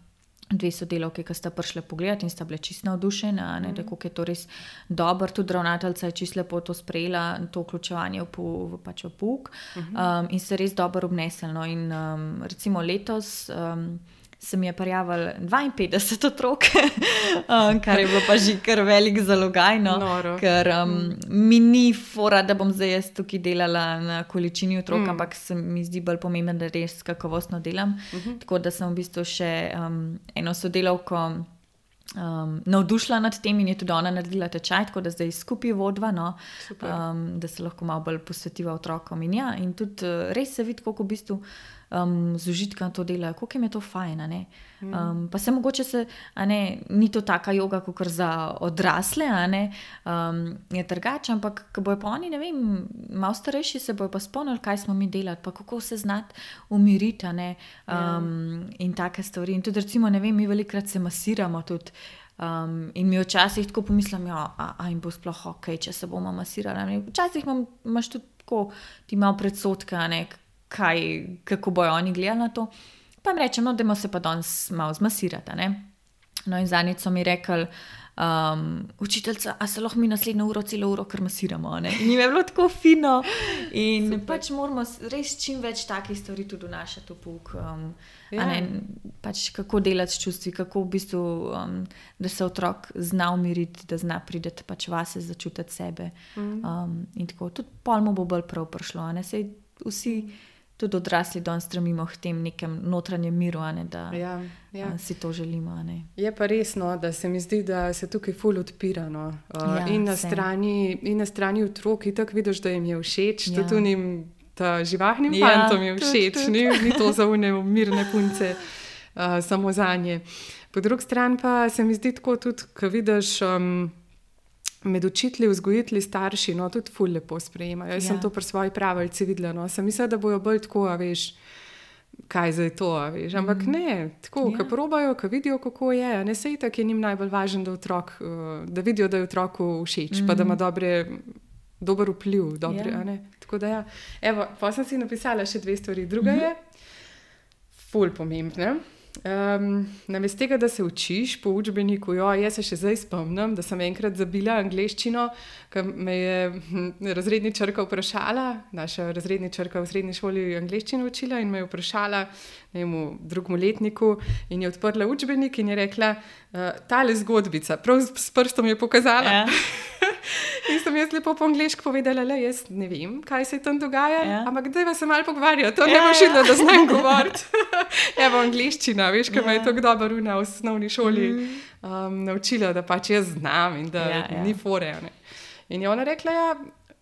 2 sodelavke, ki sta prišle pogledati in sta bile čisto navdušene, da kako je to res dobro. Tudi ravnateljica je čisto lepo to sprejela, to vključevanje v pouk in se res dobro obneslo. No. In recimo letos se mi je prijavilo 52 otrok, kar je bilo pa že kar velik zalogaj, no, ker mi ni fora, da bom zdaj jaz tukaj delala na količini otrok, ampak se mi zdi bolj pomembno, da res kakovostno delam. Tako da sem v bistvu še eno sodelavko navdušila nad tem in je tudi ona naredila tečaj, tako da zdaj skupaj vodva, no, da se lahko malo bolj posvetiva otrokom. In tudi res se vidi, koliko v bistvu z užitkom to delajo, koliko jim je to fajn, ne. Pa se mogoče ni to taka joga, kakor za odrasle, ne, je drugače, ampak ko bojo pa oni, ne vem, malo starejši, se bojo pa spomnili, kaj smo mi delali, pa kako se znati umiriti, ne, in take stvari. In tudi recimo, ne vem, mi velikokrat se masiramo tudi, in mi včasih tako pomislim, a jim bo sploh okej, če se bomo masirali. Včasih imaš tudi tako, ti malo predsodke, ne, kako bojo oni gledali na to. Pa jim rečem, dajmo se pa danes malo zmasirati, ne. No in zadnjič so mi rekli, učiteljica, a se lahko mi naslednjo celo uro kar masiramo, ne. In jim je bilo tako fino in pač moramo res čim več takih stvari tudi vnašati v pouk, pač kako delati s čustvi, kako v bistvu, da se otrok zna umiriti, da zna priti pač vase, začutiti sebe. In tako, tudi pol mu bo bolj prav prišlo, ne, saj vsi tudi odrasli danes stremimo k tem nekem notranjem miru, da si to želimo. Ne. Je pa resno, da se mi zdi, da se tukaj ful odpira. No. In na strani otrok itak vidiš, da jim je všeč, tudi unim živahnim fantom je všeč, ni to za une mirne punce, samo zanje. Po drugi strani pa se mi zdi tako tudi, ko vidiš med učitelji, vzgojitelji, starši, no, tudi ful lepo sprejemajo. Jaz sem to pri svoji pravljici videla, no. Sem mislila, da bojo bolj tako, veš, kaj zdaj to, veš. Ampak ne, tako, ko probajo, ko vidijo, kako je, ne, saj itak je njim najbolj važno, da vidijo, da je otroku všeč, pa da ima dober vpliv, a ne. Tako da Evo, pa sem si napisala še 2 stvari. Druga je ful pomembna. Namesto tega, da se učiš po učbeniku, jaz se še zdaj spomnim, da sem enkrat zabila angleščino, ko me je razredničarka vprašala, naša razredničarka v srednji šoli angleščino učila in me je vprašala, ne vem, v 2. letniku, in je odprla učbenik in je rekla, tale zgodbica, prav s prstom je pokazala. In sem jaz lepo po angleško povedala, jaz ne vem, kaj se tam dogaja, ampak dajva se malo pogovarjati, to ne boš videla, da znam govoriti. Evo, angleščina, veš, ko me je tako dobro v osnovni šoli naučila, da pač jaz znam in da ni fore. Ne. In je ona rekla,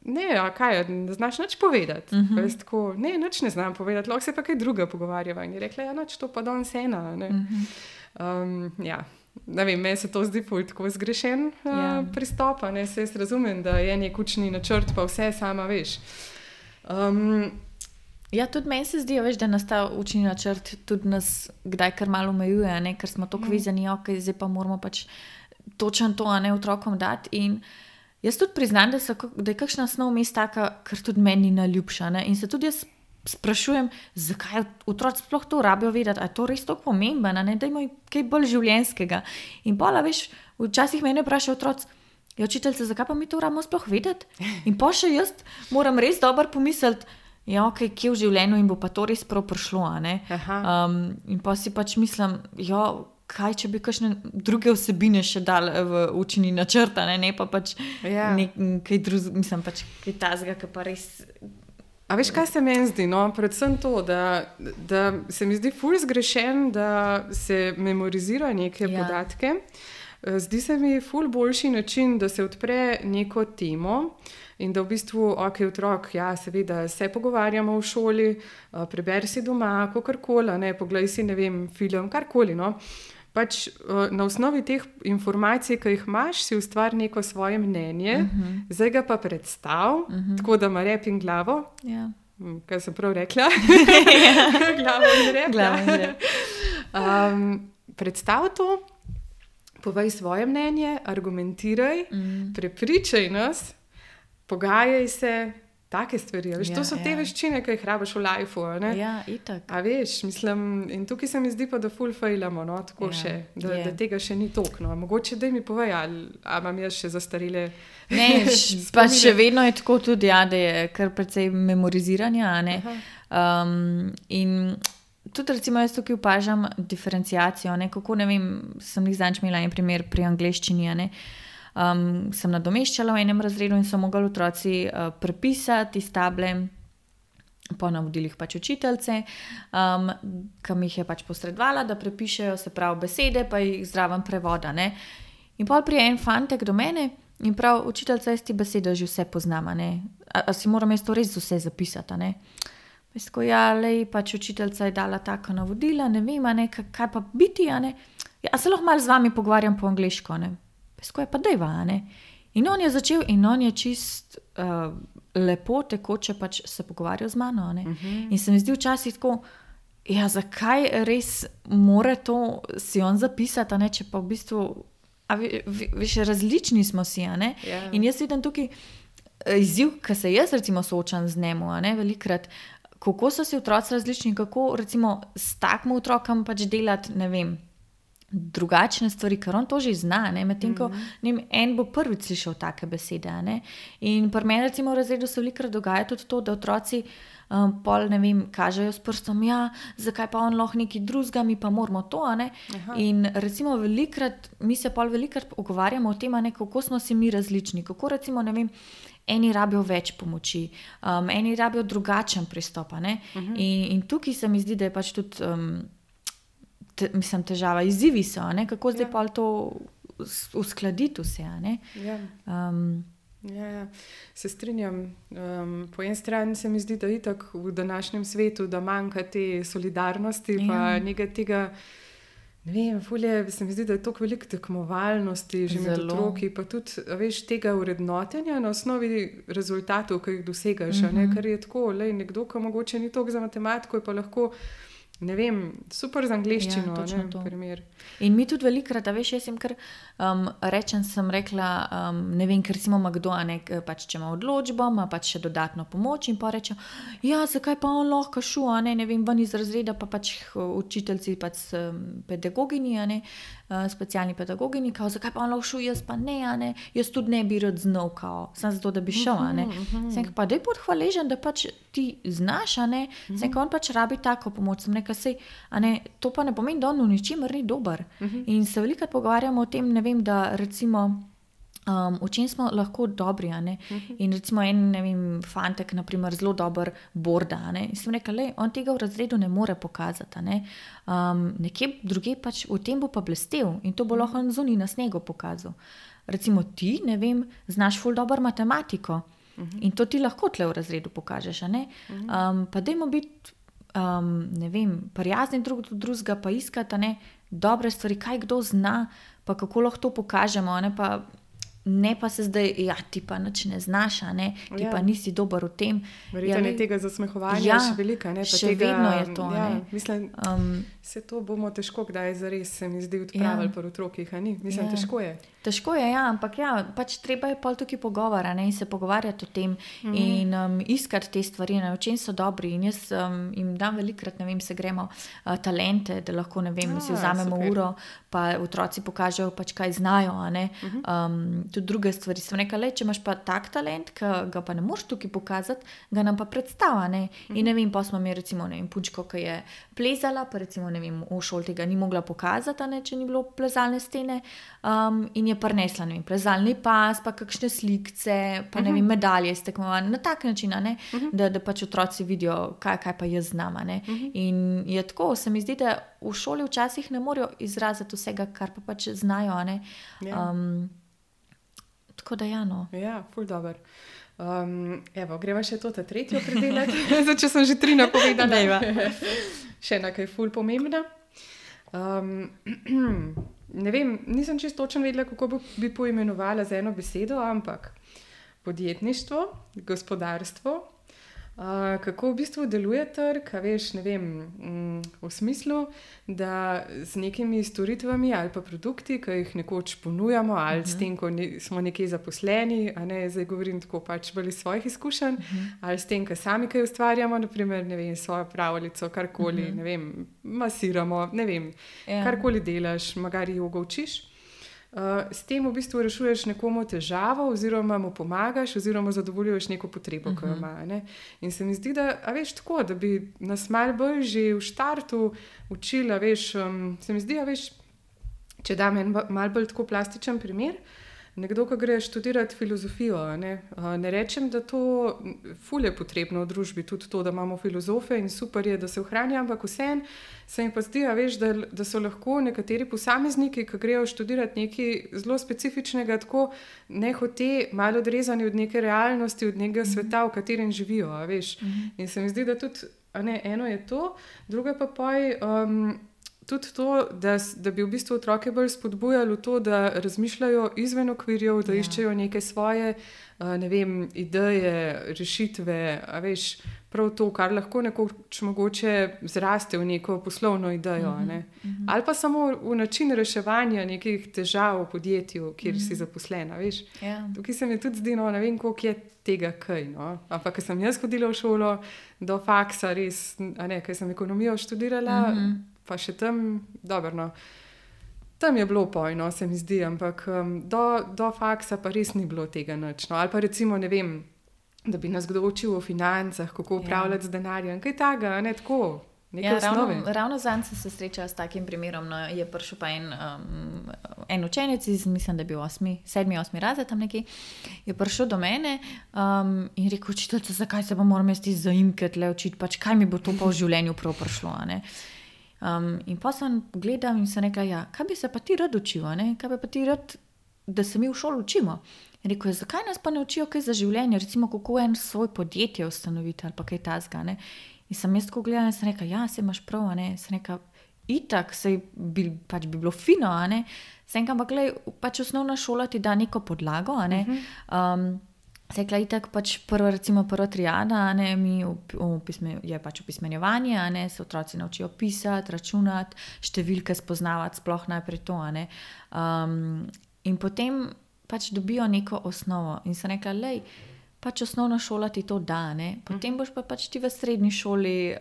ne, kaj, ne znaš nič povedati. Pa jaz tako, ne, nič ne znam povedati, lahko se pa kaj druga pogovarjava. In je rekla, nič, to pa danes ena. Ne. Ne vem, meni se to zdi tako zgrešen pristop, ne, se jaz razumem, da je nek učni načrt, pa vse sama veš. Tudi meni se zdi, veš, da nas ta učni načrt tudi nas kdaj kar malo omejuje, ne, ker smo toliko vezani, zdaj pa moramo pač točno to, otrokom dati. In jaz tudi priznam, da je kakšna snov vmes taka, ker tudi meni naljubša, ne, in se tudi jaz sprašujem, zakaj otroci sploh to rabijo vedeti, a je to res tako pomembno, ne, da imajo kaj bolj življenjskega. In pola, veš, včasih mene vprašajo otroci, učiteljica, zakaj pa mi to rabimo sploh vedeti? In pa še jaz moram res dobro pomisliti, kje v življenju in bo pa to res prav prišlo, ne. In pa si pač mislim, kaj, če bi kakšne druge vsebine še dali v učni načrt, ne pa pač kaj drugega, mislim pač kaj tazga, ki pa res. A veš, kaj se meni zdi? No? Predvsem to, da se mi zdi ful zgrešen, da se memorizira neke podatke. Zdi se mi ful boljši način, da se odpre neko temo in da v bistvu, otrok, seveda, se pogovarjamo v šoli, preberi si doma, kakorkoli, poglej si, ne vem, film, karkoli, no. pač na osnovi teh informacij, ki jih imaš, si ustvari neko svoje mnenje, zdaj ga pa predstav, tako da ima rep in glavo. Ja. Kaj sem prav rekla? Glavo in rep. Predstav to, povej svoje mnenje, argumentiraj, prepričaj nas, pogajaj se, take stvari. Veš, to so te veščine, ki jih rabiš v lifeu. Ja, itak. A veš, mislim, in tukaj se mi zdi pa, da ful failamo, no, tako še, da tega še ni toliko. No. Mogoče da mi povej, ali imam jaz še zastarele ne, pa še vedno je tako tudi, ja, da je kar precej memoriziranja, ne. In tudi recimo jaz tukaj opažam diferenciacijo, ne, kako, ne vem, sem jih zadnjič imela en primer pri angleščini, ne. Sem nadomeščala v enem razredu in so mogli otroci prepisati iz table po navodilih pač učiteljice, ki mi jih je pač posredovala, da prepišejo, se pravi besede, pa jih zraven prevoda, ne. In pol prije en fantek do mene in prav, učiteljica, jaz ti besede že vse poznam, ne. A si moram jaz to res vse zapisati, ne. Jaz tako, ja, lej, pač učiteljica je dala tako navodila, ne vem, ne, kaj pa biti, ne. Ja, se lahko malo z vami pogovarjam po angleško, ne. Ko je pa dejva, ne. In on je začel in on je čist lepo, tekoče pač se pogovarjal z mano, ne. In se mi zdi včasih tako, ja, zakaj res mora to si on zapisati, ne, če pa v bistvu, veš, različni smo si, ne. In jaz vidim tukaj izziv, ki se jaz recimo soočam z njemu, ne, velikrat, kako so si otroci različni, kako recimo s takim otrokom pač delati, ne vem, drugačne stvari, ker on to že zna, ne, medtem ko en bo prvič slišal take besede, ne. In pri meni recimo v razredu se velikrat dogaja tudi to, da otroci pol, ne vem, kažejo s prstom, ja, zakaj pa on lahko nekaj drugega, mi pa moramo to, ne. In recimo mi se pol velikrat pogovarjamo o tem, ne, kako smo si mi različni, kako recimo, ne vem, eni rabijo več pomoči, eni rabijo drugačen pristop, ne. In tukaj se mi zdi, da je pač tudi težava, izzivi so, ne, kako zdaj pol to uskladiti vse, ne. Ja, se strinjam. Po eni strani se mi zdi, da itak v današnjem svetu, da manjka te solidarnosti, pa nekaj tega, ne vem, se mi zdi, da je toliko veliko tekmovalnosti že med otroki, pa tudi, veš, tega urednotenja na osnovi rezultatov, ki jih dosegaš, ne, ker je tako, nekdo, ki mogoče ni toliko za matematiko, je pa lahko, ne vem, super z angleščino, ja, ne, primer. In mi tudi velikrat, veš, jaz sem kar sem rekla, ne vem, ker recimo ima kdo, ne, pač če ima odločbo, ima pač še dodatno pomoč in pa reče, ja, zakaj pa on lahko šu, ne vem, ven iz razreda, pa pač učiteljci, pač pedagogini, ne, specialni pedagogini, kao, zakaj pa on lahko šu, jaz pa ne, jaz tudi ne bi rad znal, kao, sem zato, da bi šel, ne. Sem pa daj bod hvaležen, da pač ti znaš, ne, sem on pač rabi tako pomoč, sem rekla, sej, to pa ne pomeni, da on v ničemer ni dober. In se velikrat pogovarjamo o tem, ne vem, da recimo v čem smo lahko dobri, ne. In recimo en, ne vem, fantek, na primer, zelo dober borda, ne. In sem rekla, lej, on tega v razredu ne more pokazati, ne. Nekje druge pač v tem bo pa blestel in to bo lahko on zunaj na snegu pokazal. Recimo ti, ne vem, znaš ful dober matematiko in to ti lahko tle v razredu pokažeš, ne. Pa dajmo biti ne vem, prijazni drug do drugega, pa iskati, ne, dobre stvari, kaj kdo zna, pa kako lahko to pokažemo, ne pa se zdaj, ja, ti pa nič ne znaš, ne, ti pa nisi dober v tem. Verjetno je tega zasmehovanja še velika, ne, pa še tega, vedno je to, ja, ne. Mislim, se to bomo težko kdaj zares, se mi zdi, odpravili pri otrokih, a ni? Mislim, težko je. Težko je, ja, ampak ja, pač treba je pol tukaj pogovora, ne, in se pogovarjati o tem in iskati te stvari, ne, v čem so dobri. In jaz jim dam velikrat, ne vem, se gremo talente, da lahko, ne vem, si vzamemo uro, pa otroci pokažejo pač, kaj znajo, ne, tudi druge stvari. Sem rekla, le, če imaš pa tak talent, ki ga pa ne moreš tukaj pokazati, ga nam pa predstava, ne. In ne vem, pa smo mi recimo, ne vem, punčko, ki je plezala, pa recimo, ne vem, v šoli tega ni mogla pokazati, ne, če ni bilo plezalne stene, in je prinesla, ne vem, plezalni pas, pa kakšne slikce, pa ne vem, medalje iz tekmovanj, na tak način, ne, da pač otroci vidijo, kaj pa jaz znam, ne. In je tako, se mi zdi, da v šoli včasih ne morejo izraziti vsega, kar pa pač znajo, ne. Tako da ja, no. Ja, ful dober. Evo, greva še to tretjo predelati, zdaj, če sem že 3 napovedala. Še ena, ki je ful pomembna. Ne vem, nisem čisto točno vedela, kako bi poimenovala z eno besedo, ampak podjetništvo, gospodarstvo, kako v bistvu deluje trg, a veš, ne vem, v smislu, da z nekimi storitvami ali pa produkti, ki jih nekoč ponujamo, ali s tem, ko smo nekje zaposleni, a ne, zdaj govorim tako pač bolj iz svojih izkušenj, ali s tem, ko sami kaj ustvarjamo, naprimer, ne vem, svojo pravljico, karkoli, ne vem, masiramo, ne vem, karkoli delaš, magari jogo učiš. S tem v bistvu rešuješ nekomu težavo oziroma mu pomagaš oziroma zadovoljuješ neko potrebo, ki jo ima. Ne? In se mi zdi, da, a veš, tako, da bi nas malo bolj že v štartu učila, veš, se mi zdi, a veš, če dam en malo bolj tako plastičen primer, nekdo, ki gre študirati filozofijo, ne rečem, da to ful je potrebno v družbi, tudi to, da imamo filozofe in super je, da se ohranja, ampak vseeno se mi pa zdi, veš, da so lahko nekateri posamezniki, ki grejo študirati nekaj zelo specifičnega, tako nehote malo odrezani od neke realnosti, od nekega sveta, v katerem živijo, veš. In se mi zdi, da tudi, eno je to, druga pa tudi to, da bi v bistvu otroke bolj spodbujali v to, da razmišljajo izven okvirjev, da iščejo neke svoje, ne vem, ideje, rešitve, a veš, prav to, kar lahko nekoč mogoče zraste v neko poslovno idejo, ne. Ali pa samo v način reševanja nekih težav v podjetju, kjer si zaposlena, veš. Tukaj se mi tudi zdi, ne vem, koliko je tega kaj, no. Ampak, ko sem jaz hodila v šolo do faksa, res, ker sem ekonomijo študirala, pa še tam, dobro, no, tam je bilo pojno, se mi zdi, ampak do faksa pa res ni bilo tega nič, no, ali pa recimo, ne vem, da bi nas kdo učil o financah, kako upravljati z denarjem, kaj takega, ne, tako, neke osnove. Ravno zanj sem se srečala s takim primerom, no, je prišel pa en učenec iz, mislim, da je bil 7-8 razred tam nekje, je prišel do mene in rekel, učiteljica, zakaj se pa moram jaz zaimke tle učiti, pač kaj mi bo to pa v življenju prav prišlo, ne. In pa sem gledala in sem rekla, kaj bi se pa ti rad učil, kaj bi pa ti rad, da se mi v šoli učimo. In rekel je, zakaj nas pa ne učijo kaj za življenje, recimo kako en svoj podjetje ustanoviti ali pa kaj tazga, ne. In sem jaz tako gledala in sem rekla, saj imaš prav, sem rekla, itak, saj bi bilo fino, sem rekla, ampak glej, pač osnovna šola ti da neko podlago, Sekla itak pač prva triada, je pač opismenjevanje, se otroci naučijo pisati, računati, številke spoznavati, sploh najprej to, in potem pač dobijo neko osnovo in sem rekla, lej, pač osnovna šola ti to da, potem boš pa pač ti v srednji šoli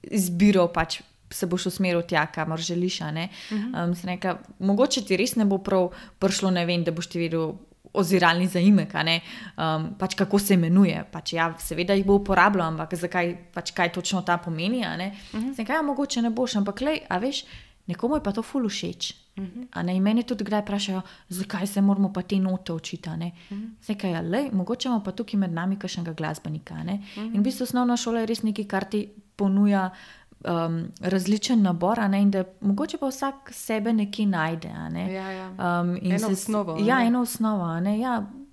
izbiral pač se boš usmeril tja, kamor želiš, sem rekla, mogoče ti res ne bo prav prišlo, ne vem, da boš ti vedel oziralni zaimek, pač kako se imenuje, pač seveda jih bo uporabljal, ampak zakaj, pač kaj točno ta pomeni, Sem rekla, mogoče ne boš, ampak lej, a veš, nekomu je pa to ful všeč, in mene tudi kdaj vprašajo, zakaj se moramo pa te note učiti, Sem rekla, lej, mogoče imamo pa tukaj med nami kakšnega glasbenika, in v bistvu osnovna šola je res nekaj, kar ti ponuja različen nabor, in da mogoče pa vsak sebe nekje najde. Eno osnovo. Eno osnovo.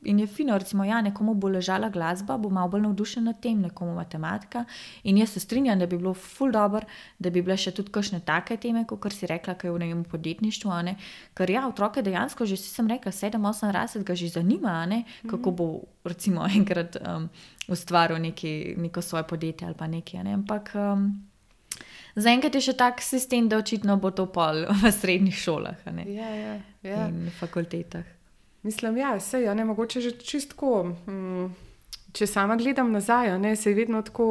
In je fino, recimo, nekomu bo ležala glasba, bo malo bolj navdušen nad tem, nekomu matematika. In jaz se strinjam, da bi bilo ful dobro, da bi bile še tudi kakšne take teme, kot si rekla, kaj je v podjetništvu. Ker otroke dejansko že, sem rekla, 7-8 razred ga že zanima, kako bo recimo enkrat ustvaril neko svoje podjetje ali pa nekaj. Ampak zaenkrat je še tak sistem, da očitno bo to pol v srednjih šolah, in fakultetah. Mislim, sej, mogoče že čistko, če sama gledam nazaj, sej vedno tako,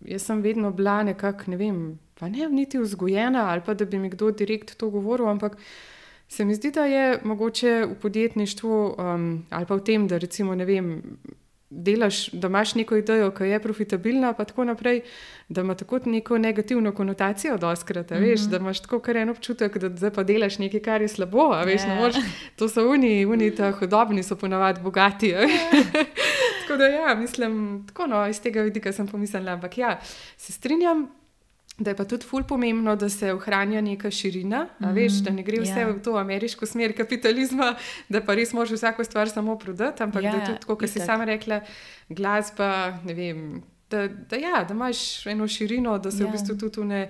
jaz sem vedno bila nekako, ne vem, pa ne niti vzgojena, ali pa da bi mi kdo direkt to govoril, ampak se mi zdi, da je mogoče v podjetništvu, ali pa v tem, da recimo, ne vem, delaš, da imaš neko idejo, ki je profitabilna, pa tako naprej, da ima tako neko negativno konotacijo dostkrat, veš, da imaš tako kar en občutek, da zdaj pa delaš nekaj, kar je slabo, veš, ne moreš, to so oni ta hudobni so ponavadi bogati, tako da mislim, tako iz tega vidika sem pomislila, ampak se strinjam, da je pa tudi ful pomembno, da se ohranja neka širina, veš, da ne gre vse v to ameriško smer kapitalizma, da pa res moraš vsako stvar samo prodati, ampak da tudi, kot si sama rekla, glasba, ne vem, da imaš eno širino, da se v bistvu tudi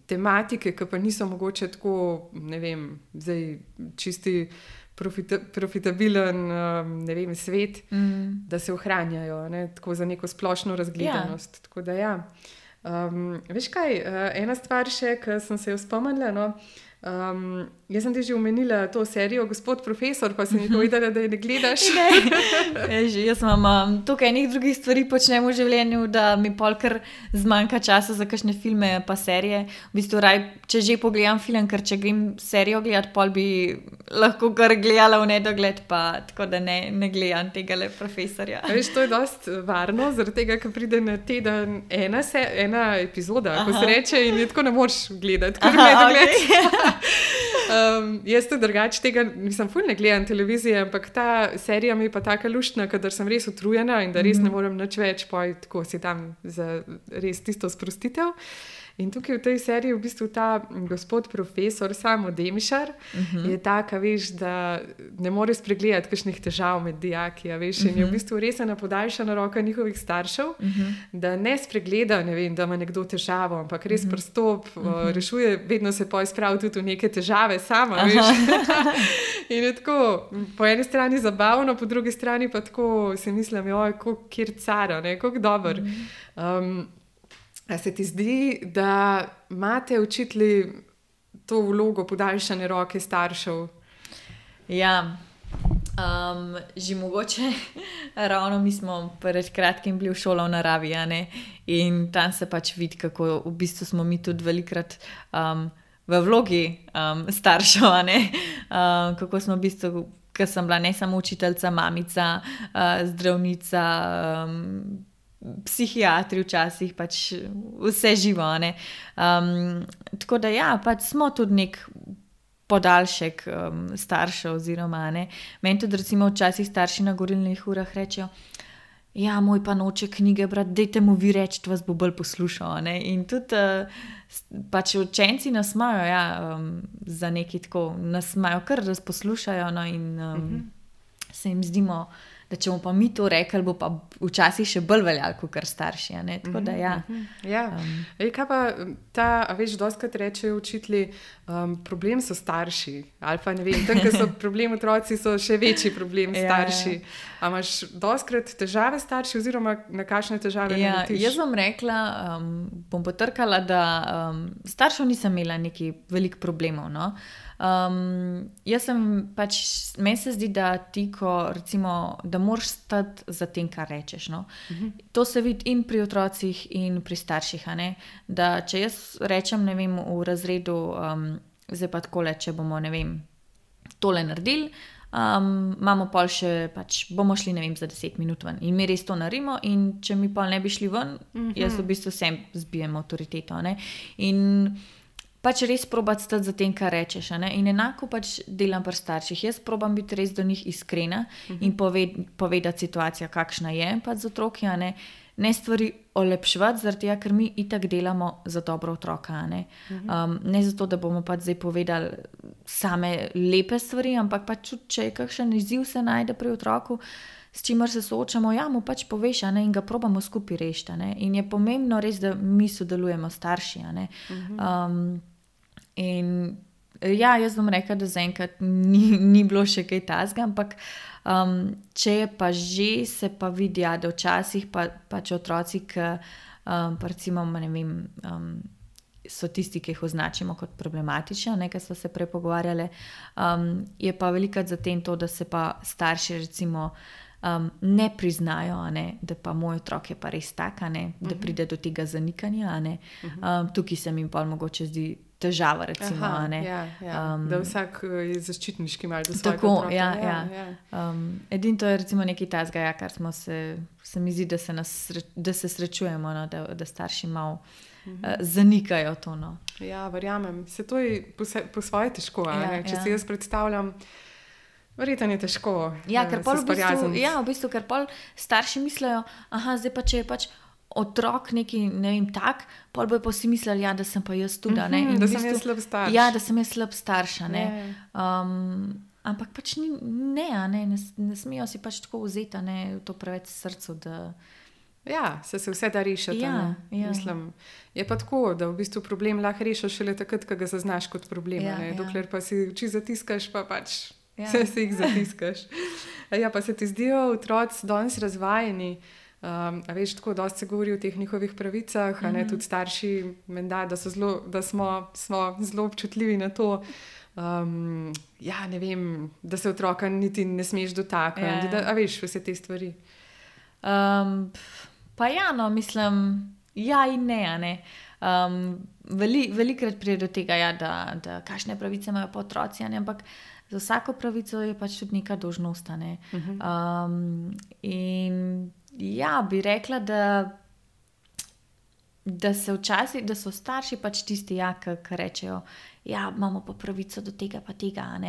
tematike, ki pa niso mogoče tako, ne vem, zdaj čisti profitabilen, ne vem, svet, da se ohranjajo, ne, tako za neko splošno razgledanost. Tako da veš kaj, ena stvar še, ki sem se jo spomnila, no, jaz sem ti že omenila to serijo Gospod profesor, pa si mi povedala, da je ne gledaš. Jaz imam tukaj enih drugih stvari počnem v življenju, da mi polkar zmanjka časa za kakšne filme pa serije. V bistvu če že pogledam film, ker če grem serijo gledat, pol bi lahko kar gledala v nedogled, pa tako da ne gledam tegale profesorja. Veš, to je dost varno, zaradi tega, ker pride na teden ena epizoda, ko se reče, in je tako ne moreš gledati, kar v nedogled. Jaz to drugače tega, nisem ful ne gledam televizije, ampak ta serija mi je pa taka luštna, kadar sem res utrujena in da res ne morem nič več, tako si tam za res tisto sprostitev. In tukaj v tej seriji v bistvu ta gospod profesor Samo Demišar je taka, veš, da ne more spregledati kakšnih težav med dijaki, veš, in je v bistvu res ena podaljšana roka njihovih staršev, da ne spregleda, ne vem, da ima nekdo težavo, ampak res pristop, rešuje, vedno se spravi tudi v neke težave sama, veš. In je tako, po eni strani zabavno, po drugi strani pa tako si mislim, kjer cara, ne, kako dober. A se ti zdi, da imate učitelji to vlogo podaljšane roke staršev? Ja, že mogoče ravno mi smo pred kratkim bili v šolo v naravi, ne? In tam se pač vidi, kako v bistvu smo mi tudi velikrat v vlogi staršev, ne? Kako smo v bistvu, ker sem bila ne samo učiteljica, mamica, zdravnica, psihiatri včasih, pač vse živo, ne. Tako da pač smo tudi nek podaljšek staršev oziroma, ne. Meni tudi recimo včasih starši na govorilnih urah rečejo, moj pa noče knjige brati, dajte mu vi reči, vas bo bolj poslušal, ne. In tudi pač učenci nas imajo, za nekaj tako, nas imajo kar, da poslušajo, no, in se jim zdimo, da če bomo pa mi to rekli, bo pa včasih še bolj veljalo, kot kar starši, ne? Tako da Kaj pa veš, dostikrat rečejo učitelji, problem so starši, ali pa ne vem, tam, ko so problem otroci, so še večji problem starši. A imaš dostikrat težave starši, oziroma na kakšne težave naletiš? Jaz bom rekla, bom potrkala, da staršev nisem imela nekaj velikih problemov, no. Meni se zdi, da ti, recimo, da moraš stati za tem, kar rečeš, no. To se vidi in pri otrocih in pri starših, a ne, da če jaz rečem, ne vem, v razredu, zdaj pa takole, če bomo, ne vem, tole naredili, imamo pol še, pač bomo šli, ne vem, za 10 minut ven in mi res to naredimo, in če mi pol ne bi šli ven, jaz v bistvu sem zbijem avtoriteto, ne, in pač res probati stati za tem, kar rečeš, ne? In enako pač delam pri starših. Jaz probam biti res do njih iskrena in povedati situacijo, kakšna je pač z otroki, ne stvari olepševati, zaradi tega, ker mi itak delamo za dobro otroka, ne? Ne zato, da bomo pač zdaj povedali same lepe stvari, ampak pač če je kakšen izziv se najde pri otroku, s čimer se soočamo, mu pač poveš, ne, in ga probamo skupaj rešiti, ne. In je pomembno res, da mi sodelujemo starši, ne. In jaz bom rekla, da zaenkrat ni bilo še kaj takega, ampak če je pa že, se pa vidi, da včasih pač otroci, ki recimo, ne vem, so tisti, ki jih označimo kot problematične, ne, ker smo se prej pogovarjali, je pa velikokrat za tem to, da se pa starši recimo ne priznajo, ne, da pa moj otrok je pa res tak, ne, da pride do tega zanikanja, ne. Tukaj se mi pa mogoče zdi težava, recimo. Da vsak je zaščitniški malo do svojega tako, otroka. Edino to je recimo nekaj takega, kar smo se mi zdi, da se srečujemo, no, da starši malo zanikajo to. No. Ja, verjamem. Se to je po svoje težko, če si jaz predstavljam, verjetno je težko. Ker pol v bistvu, ker pol starši mislijo, zdaj pa če je pač otrok neki, ne vem, tak, pol bojo pa vsi mislili, da sem pa jaz tudi, ne. In da sem jaz slab starš. Da sem jaz slab starša, ne. Ampak pač ne smejo si pač tako vzeti, ne, to preveč srcu, Ja, se vse da rešiti. Ja. Mislim, je pa tako, da v bistvu problem lahko rešiš šele takrat, ko ga zaznaš kot problem. Dokler pa si oči zatiskaš, pa pač vse si jih zatiskaš. Ja, pa se ti zdijo otroci danes razvajeni. A veš, tako dosti se govori o teh njihovih pravicah, tudi starši menda, da smo zelo občutljivi na to. Ja, ne vem, da se otroka niti ne smeš dotakniti, a veš, vse te stvari. Pa ja, no, mislim, ja in ne. Velikrat pride do tega, da kakšne pravice imajo pa otroci, ampak za vsako pravico je pač tudi neka dolžnost. In ja, bi rekla, da so starši pač tisti, ki rečejo, ja, imamo pa pravico do tega pa tega,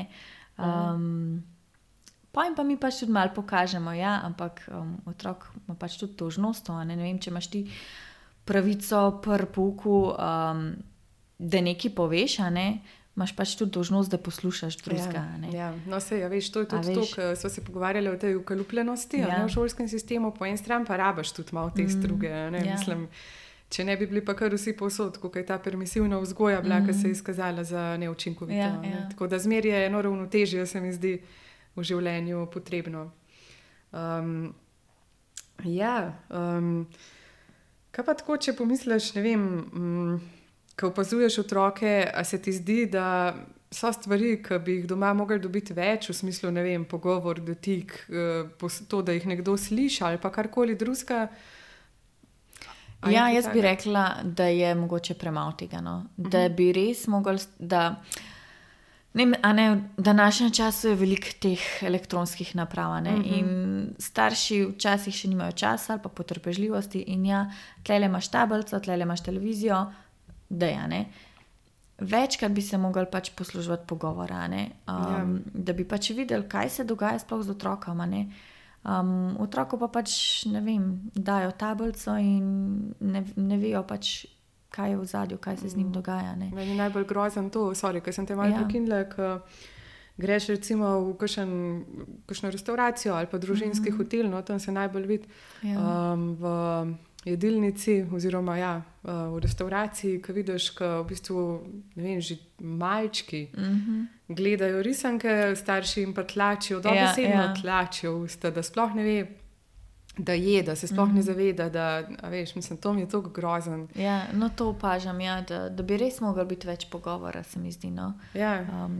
Pa jim pa mi pač tudi malo pokažemo, ampak otrok ima pač tudi dolžnost. Ne vem, če imaš ti pravico pri pouku, da nekaj poveš, imaš pač tudi dolžnost, da poslušaš drugega. No, sej, veš, to je tudi to, ko smo se pogovarjali o tej ukalupljenosti v šolskem sistemu, po en stran pa rabaš tudi malo te struge. Mislim, če ne bi bili pa kar vsi povsod, kako je ta permisivna vzgoja bila, ki se je izkazala za neučinkovito. Tako da zmer je eno ravnotežje, se mi zdi, v življenju potrebno. Kaj pa tako, če pomisliš, ne vem, ko opazuješ otroke, a se ti zdi, da so stvari, ki bi jih doma mogli dobiti več, v smislu, ne vem, pogovor, dotik, to, da jih nekdo sliši ali pa karkoli drugega? Jaz bi rekla, da je mogoče premalo tega, da bi res mogli, v današnjem času je veliko teh elektronskih naprav, in starši včasih še nimajo časa ali pa potrpežljivosti in tlele imaš tablico, tlele imaš televizijo, večkrat bi se mogli pač posluževati pogovora, da bi pač videli, kaj se dogaja sploh z otrokom, otroku pa pač, ne vem, dajo tablico in ne vejo pač, kaj je v zadju, kaj se z njim dogaja. Meni je najbolj grozen to, ker sem te malo prekinila, ko greš recimo v kakšno restauracijo ali pa družinski hotel, tam se najbolj vidi v jedilnici oziroma v restauraciji, ko vidiš, ko v bistvu, ne vem, že malčki gledajo risanke, starši jim pa tlačijo, dobesedno tlačijo v usta, da sploh ne ve, da je, da se sploh ne zaveda, a veš, mislim, to mi je toliko grozen. No to opažam, da bi res moglo biti več pogovora, se mi zdi,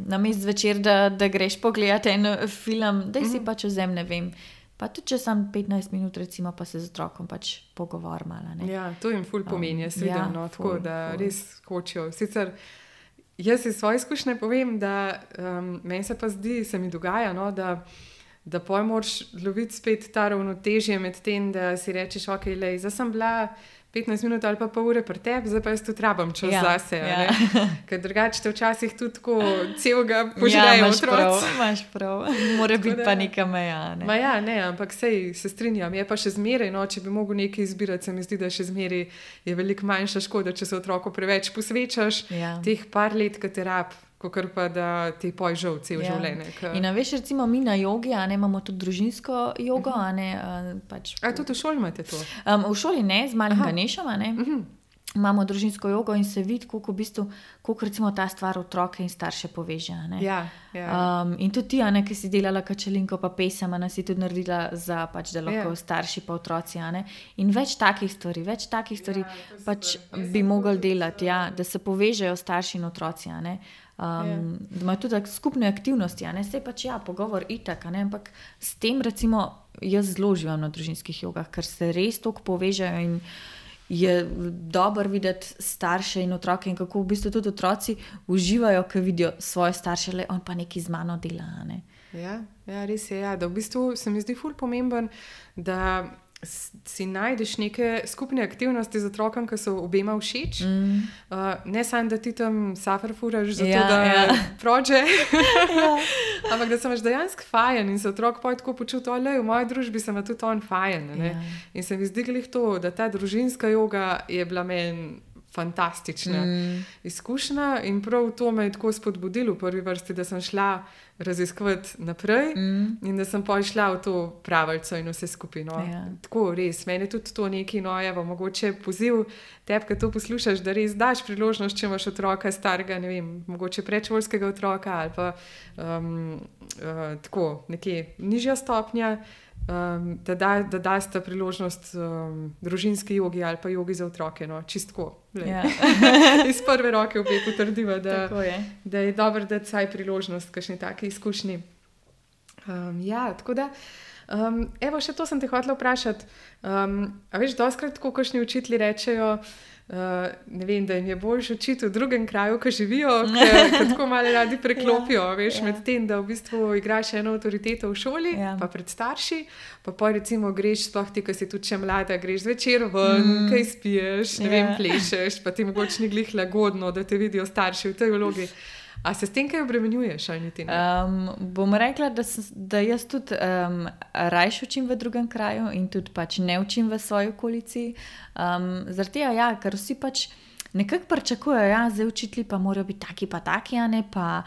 namesto zvečer, da greš pogledat en film, da si pač vzem, ne vem, pa tudi če sam 15 minut recimo, pa se z otrokom pač pogovor malo, to jim ful pomeni, jaz vidim, tako da res hočejo. Sicer jaz iz svoje izkušnje povem, da meni se pa zdi, se mi dogaja, da poj moraš loviti spet ta ravnotežje med tem, da si rečeš, ok, lej, zdaj sem bila 15 minut ali pa pol ure pri tebi, zdaj pa jaz tudi rabam čas zase. Ker drugače te včasih tudi tako celega požrejo otroci. Imaš prav, mora biti pa neka meja. Ampak sej se strinjam, je pa še zmeraj, če bi mogel nekaj izbirati, se mi zdi, da še zmeraj je veliko manjša škoda, če se otroku preveč posvečaš teh par let, ki te rab, kakor pa da ti poj žal cel življenje. In veš, recimo mi na jogi, imamo tudi družinsko jogo, pač. A tudi v šoli imate to? V šoli ne, z malim Ganešom, imamo družinsko jogo in se vidi, koliko recimo ta stvar otroke in starše poveže. In tudi ti, ki si delala kačelinko pa pesem, si tudi naredila za pač, da lahko starši pa otroci. In več takih stvari pač bi mogli delati, da se povežejo starši in otroci. Da imajo tudi skupne aktivnosti, sej pač pogovor itak, ampak s tem recimo jaz zelo uživam na družinskih jogah, ker se res toliko povežejo in je dobro videti starše in otroke in kako v bistvu tudi otroci uživajo, ko vidijo svoje starše, le on pa nekaj z mano dela. Res je, da v bistvu se mi zdi ful pomemben, da si najdeš neke skupne aktivnosti z otrokom, ki so obema všeč. Ne samo, da ti tam safar furaš za to, da prođe, ampak da se imaš dejansko fajen in se otrok poje tako počuti, v moji družbi se ima tudi on fajen. In se mi zdi glih to, da ta družinska joga je bila meni fantastična izkušnja in prav to me je tako spodbudilo v prvi vrsti, da sem šla raziskovati naprej in da sem šla v to pravico in vse skupaj. No. Tako res, meni je tudi to nekaj, no, evo, mogoče poziv tebi, ki to poslušaš, da res daš priložnost, če imaš otroka starega, ne vem, mogoče predšolskega otroka ali pa tako nekje nižja stopnja, da daste priložnost družinski jogi ali pa jogi za otroke, no, čistko. Iz prve roke obe potrdiva, da je dobro dati vsaj priložnost kakšni taki izkušnji. Tako da, evo, še to sem te hotela vprašati. A veš, dostikrat tako kakšni učitelji rečejo, ne vem, da jim je boljše učiti v drugem kraju, ko živijo, ker tako malo radi preklopijo, veš, med tem, da v bistvu igraš eno avtoriteto v šoli, pa pred starši, pa recimo greš, sploh ti, ko si tudi še mlada, greš zvečer ven, kaj spiješ, ne vem, plešeš, pa ti mogoče ni glih lagodno, da te vidijo starši v tej vlogi. A se s tem kaj obremenjuješ, ali niti ne? Bom rekla, da jaz tudi rajš učim v drugem kraju in tudi pač ne učim v svoji okolici. Zaradi tega, ker vsi pač nekako pričakujejo, zdaj učitelji pa morajo biti taki pa taki, a ne, pa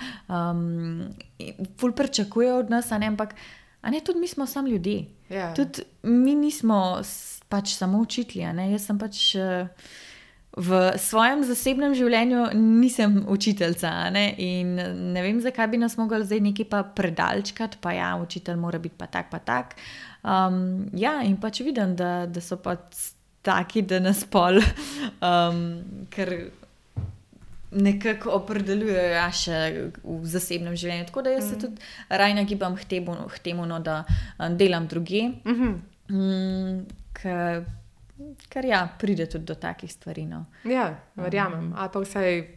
ful pričakujejo od nas, a ne, ampak tudi mi smo samo ljudje. Tudi mi nismo pač samo učitelji, a ne, jaz sem pač... V svojem zasebnem življenju nisem učiteljca, ne? In ne vem, zakaj bi nas mogli zdaj nekaj pa predalčkati, pa učitelj mora biti pa tak. In pač vidim, da so pa taki, da nas pol, ker nekako opredeljujejo še v zasebnem življenju. Tako da jaz se tudi raj nagibam k temu, no, da delam drugje, ker pride tudi do takih stvari. No. Verjamem. Ali pa vsaj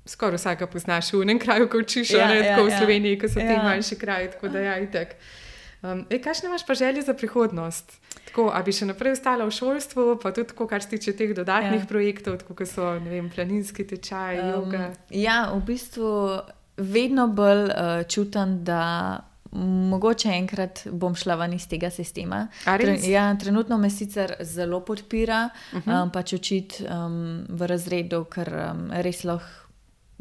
skoraj vsega poznaš v enem kraju, ko učiš, tako v Sloveniji, ko so ti manjši kraji, tako da itak. Kakšne imaš pa želje za prihodnost? Tako, a bi še naprej ostala v šolstvu, pa tudi tako, kar se tiče teh dodatnih projektov, tako kot so, ne vem, planinski tečaj, joga? V bistvu vedno bolj čutim, da mogoče enkrat bom šla ven iz tega sistema. Trenutno me sicer zelo podpira, pač učiti v razredu, ker res lahko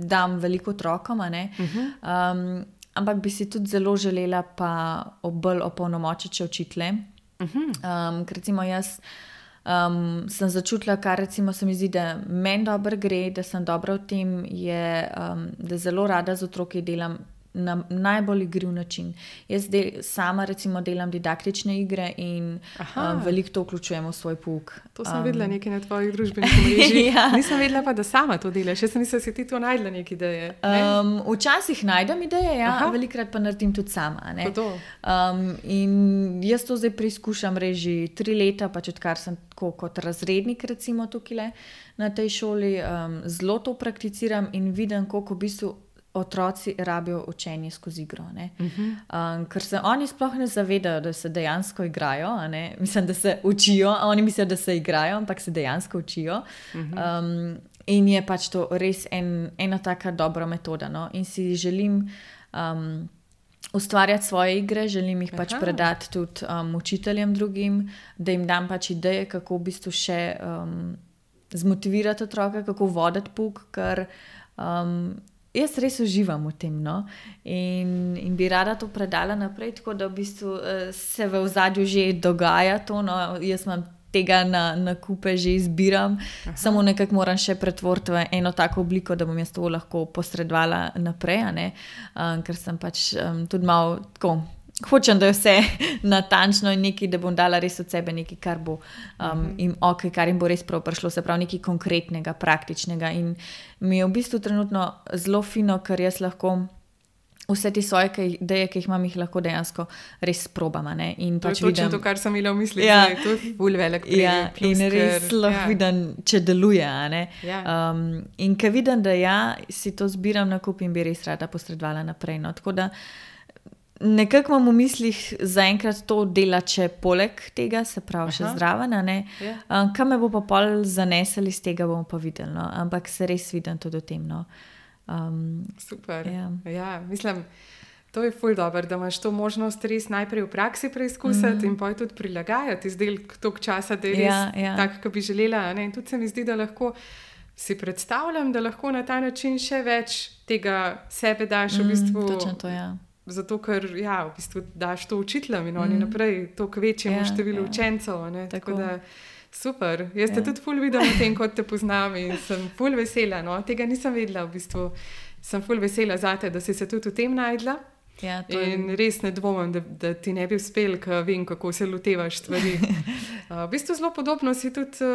dam veliko otrokom, ampak bi si tudi zelo želela pa bolj opolnomočiti učitelje. Ker recimo jaz sem začutila, kar recimo se mi zdi, da meni dobro gre, da sem dobra v tem, je, da zelo rada z otroki delam na najbolj igriv način. Jaz sama recimo delam didaktične igre in veliko to vključujem v svoj pouk. To sem videla nekaj na tvojih družbenih omrežjih. Nisem vedela pa, da sama to delaš. Jaz nisem si ti to najdla neke ideje. Včasih najdem ideje, velikrat pa naredim tudi sama. Ne? In jaz to zdaj preizkušam reži 3 leta, pač odkar sem tako kot razrednik recimo tukaj na tej šoli, zelo to prakticiram in vidim, koliko v bistvu otroci rabijo učenje skozi igro. Ker se oni sploh ne zavedajo, da se dejansko igrajo. Mislim, da se učijo, oni mislijo, da se igrajo, ampak se dejansko učijo. In je pač to res ena taka dobra metoda. No? In si želim ustvarjati svoje igre, želim jih pač predati tudi učiteljem drugim, da jim dam pač ideje, kako v bistvu še zmotivirati otroka, kako voditi pouk, ker jaz res uživam v tem, no, in bi rada to predala naprej, tako da v bistvu se v ozadju že dogaja to, no, jaz imam tega na kupe že izbiram, samo nekako moram še pretvoriti v eno tako obliko, da bom jaz to lahko posredovala naprej, ker sem pač tudi malo tako, hočem, da je vse natančno in nekaj, da bom dala res od sebe nekaj, kar bo kar jim bo res prav prišlo, se pravi nekaj konkretnega, praktičnega in mi je v bistvu trenutno zelo fino, ker jaz lahko vse te svoje ideje, ki jih imam, jih lahko dejansko res probam. In pač to je točno to, kar sem imela v misli, da je to ful velik plus. In res lahko vidim, če deluje. In ker vidim, da si to zbiram na kup in bi res rada posredovala naprej. No. Tako da nekako imam v mislih zaenkrat to delati še poleg tega, se pravi še zraven. Kaj me bo pa pol zanesel iz tega, bomo pa videli. No. Ampak se res vidim tudi o tem. No. Super. Mislim, to je ful dobro, da imaš to možnost res najprej v praksi preizkusiti in pa tudi prilagajati izdelek toliko časa, da je res tak, kot bi želela. In tudi se mi zdi, da lahko si predstavljam, da lahko na ta način še več tega sebe daš v bistvu. Točno to, ja. Zato, ker v bistvu daš to učiteljem in oni naprej to k večjemu številu učencev. Tako da super. Jaz te tudi ful vidim na tem, kot te poznam in sem ful vesela. No? Tega nisem vedela v bistvu. Sem ful vesela zate, da si se tudi v tem najdla. Ja, in res ne dvomim, da ti ne bi uspel, ker vem, kako se lotevaš stvari. V bistvu zelo podobno si tudi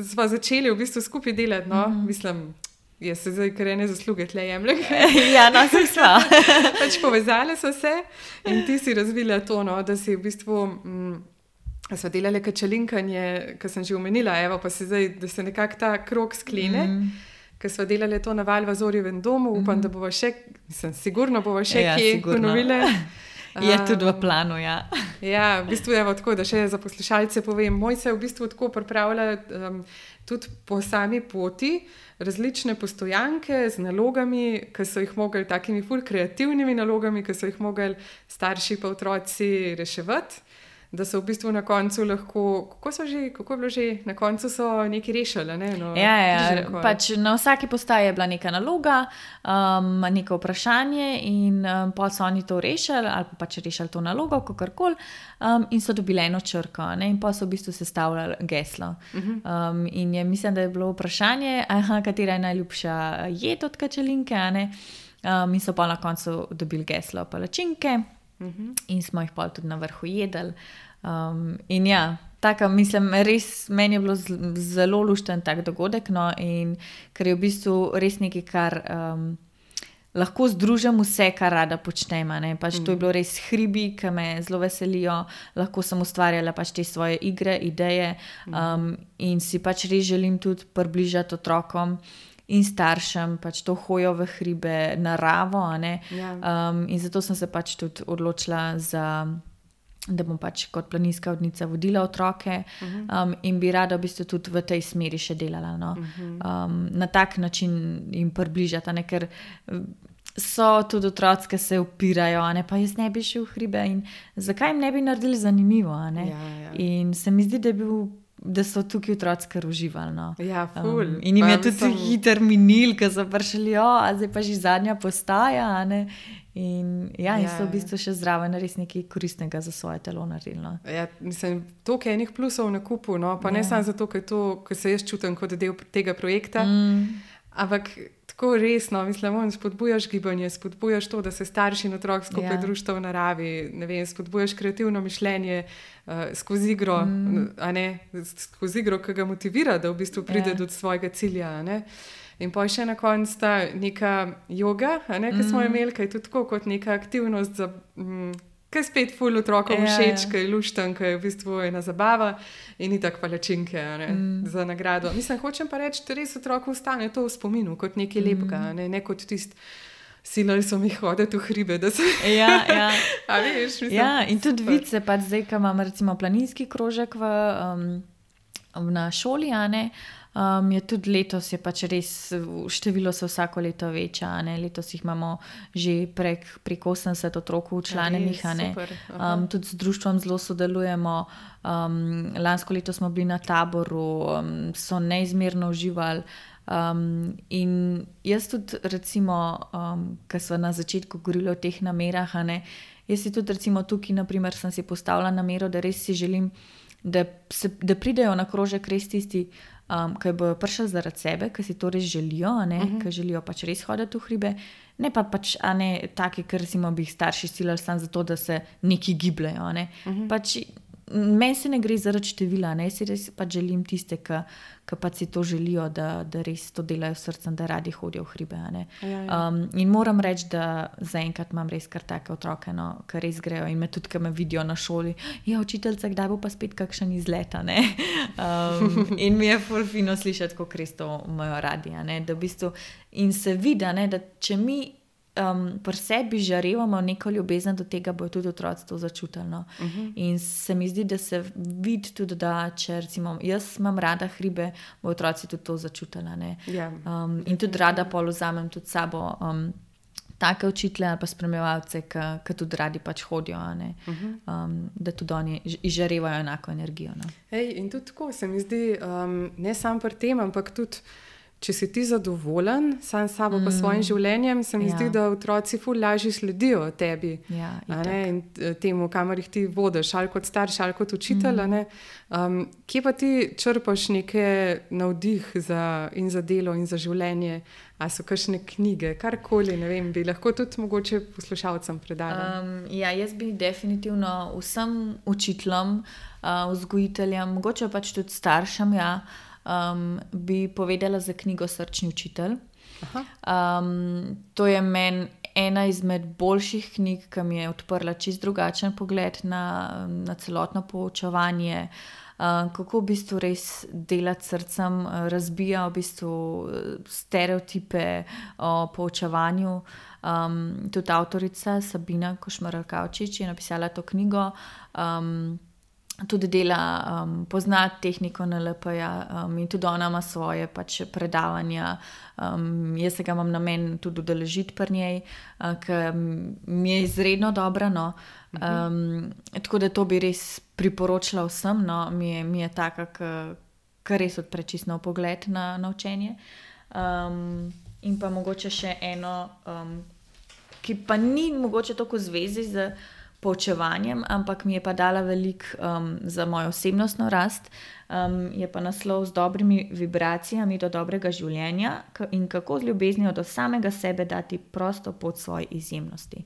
sva začeli v bistvu skupaj delati. No? Mislim, jaz se zdaj kar ene zasluge tle jemljem. Ja, no, sem sva. Pač povezali so se in ti si razvila to, no, da si v bistvu sva delali kačelinkanje, kar sem že omenila, evo pa se zdaj, da se nekako ta krog sklene. Ker smo delali to na Valvazorjevem domu, upam, da bova še, sigurno bova še kje ponovile. Je tudi v planu, ja. Ja, v bistvu je tako, da še za poslušalce povem, moj se v bistvu tako pripravlja tudi po sami poti, različne postojanke z nalogami, ki so jih mogli, takimi ful kreativnimi nalogami, ki so jih mogli starši pa otroci reševati. Da so v bistvu na koncu lahko, kako je bilo že, na koncu so nekaj rešili. Ne? No, pač na vsaki postaji je bila neka naloga, neko vprašanje in pa so oni to rešili ali pač rešili to nalogo, kakorkoli, in so dobili eno črko, ne? In pa so v bistvu sestavljali geslo. In mislim, da je bilo vprašanje, katera je najljubša jed od kačelinke, in so pa na koncu dobili geslo palačinke. In smo jih pa tudi na vrhu jedli. In ja, taka, mislim, res meni je bilo zelo lušten tak dogodek, no, in ker je v bistvu res nekaj, kar lahko združim vse, kar rada počnem. Pač to je bilo res hribi, ki me zelo veselijo, lahko sem ustvarjala pač te svoje igre, ideje in si pač res želim tudi približati otrokom in staršem pač to hojo v hribe, naravo, in zato sem se pač tudi odločila da bom pač kot planinska vodnica vodila otroke in bi rada v bistvu tudi v tej smeri še delala, no. Na tak način jim približati, ker so tudi otroci, ki se upirajo, pa jaz ne bi šel v hribe in zakaj jim ne bi naredili zanimivo, in se mi zdi, da so tukaj otroci kar uživali. No. Ja, ful. In jim je tudi hiter minil, ker so prišli, zdaj pa že zadnja postaja, in so v bistvu še zraven res nekaj koristnega za svoje telo naredili. No. Ja, mislim, toliko enih plusov na kupu, no, pa ne samo zato, ker se jaz čutim kot del tega projekta, ampak tako resno, mislim, spodbujaš gibanje, spodbujaš to, da se starši in otrok skupaj družita v naravi, ne vem, spodbujaš kreativno mišljenje skozi igro, skozi igro, ki ga motivira, da v bistvu pride do svojega cilja, In pa še na koncu ta neka joga, ki smo imeli, ki je tudi tako kot neka aktivnost, ki je spet ful otrokom všeč, ki je lušten, ki je v bistvu ena zabava in itak palačinke za nagrado. Mislim, hočem pa reči, da res otrokom ostane to v spominu kot nekaj lepega, ne kot tist silali so mi hoditi v hribe, da se... Ja. A veš, mislim... Ja, in tudi vice, pač zdaj, ko imam recimo planinski krožek na šoli, je tudi letos je pač res, število se vsako leto veča, letos jih imamo že prek 80 otrok včlanjenih, tudi z društvom zelo sodelujemo, lansko leto smo bili na taboru, so neizmerno uživali, in jaz tudi recimo, ko smo na začetku govorili o teh namerah, jaz si tudi recimo tukaj naprimer sem si postavila namero, da res si želim, da pridejo na krožek res tisti, ki bojo prišli zaradi sebe, ki si to res želijo, ki želijo pač res hoditi v hribe, ne pa pač taki, ker bi jih starši silali samo zato, da se neki gibljajo. Pač meni se ne gre zaradi števila, si res pač želim tiste, ki pač si to želijo, da res to delajo s srcem, da radi hodijo v hribe. In moram reči, da zaenkrat imam res kar take otroke, ki res grejo in me tudi, ki me vidijo na šoli, učiteljica, kdaj bo pa spet kakšen izlet, in mi je ful fino slišati, kako res to imajo radi, da v bistvu in se vidi, da če mi pri sebi žarevamo neko ljubezen do tega, bojo tudi otroci to začutili. No. In se mi zdi, da se vidi tudi, da če recimo jaz imam rada hribe, bojo otroci tudi to začutili. In tudi rada pol vzamem tudi sabo take učitelje ali pa spremljevalce, ki tudi radi pač hodijo, da tudi oni izžarevajo enako energijo. No. In tudi tako se mi zdi, ne samo pri tem, ampak tudi če si ti zadovoljen sam s sabo pa svojim življenjem, se mi zdi, da otroci ful lažje sledijo tebi, in temu, kamor jih ti vodiš, ali kot starš, ali kot učitelj. Kje pa ti črpaš neke navdih za delo in za življenje? A so kakšne knjige, karkoli, ne vem, bi lahko tudi mogoče poslušalcem predala? Jaz bi definitivno vsem učiteljem, vzgojiteljem, mogoče pač tudi staršem, bi povedala za knjigo Srčni učitelj. To je meni ena izmed boljših knjig, ki mi je odprla čisto drugačen pogled na celotno poučevanje, kako v bistvu res delati s srcem, razbija v bistvu stereotipe o poučevanju. Tudi avtorica Sabina Košmarj-Kavčič je napisala to knjigo. Tudi pozna tehniko NLP-ja, in tudi ona ima svoje predavanja. Jaz se ga imam namen tudi udeležiti pri njej, ker mi je izredno dobra. Tako da to bi res priporočila vsem. Mi je taka, ki res odpre čisto nov pogled na učenje. In pa mogoče še eno, ki pa ni mogoče toliko v zvezi z poučevanjem, ampak mi je pa dala veliko za mojo osebnostno rast, je pa naslov Z dobrimi vibracijami do dobrega življenja in kako z ljubeznijo do samega sebe dati prosto pot svoji izjemnosti.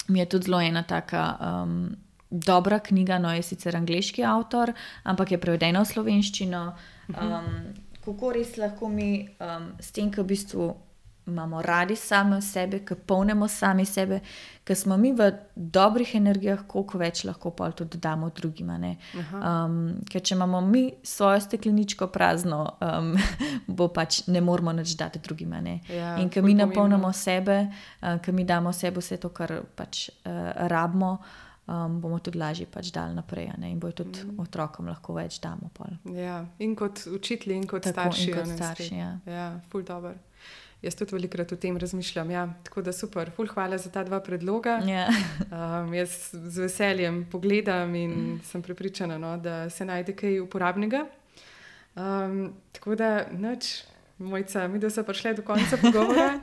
Mi je tudi zelo ena taka dobra knjiga, je sicer angleški avtor, ampak je prevedena v slovenščino. Kako res lahko mi s tem, ki v bistvu imamo radi same sebe, ki polnimo sami sebe, ker smo mi v dobrih energijah, koliko več lahko pa tudi damo drugima. Ker če imamo mi svojo stekleničko prazno, bo pač ne moramo nič dati drugima. In ker mi napolnimo sebe, ker mi damo sebe vse to, kar pač rabimo, bomo tudi lažje pač dali naprej, in bojo tudi otrokom lahko več damo pol. In kot učitelji in kot starši. In kot starši, ful dobro. Jaz tudi velikrat o tem razmišljam. Tako da super, ful hvala za ta dva predloga. Jaz z veseljem pogledam in sem prepričana, da se najde kaj uporabnega. Tako da nič. Mojca, mi da so prišli do konca pogovora.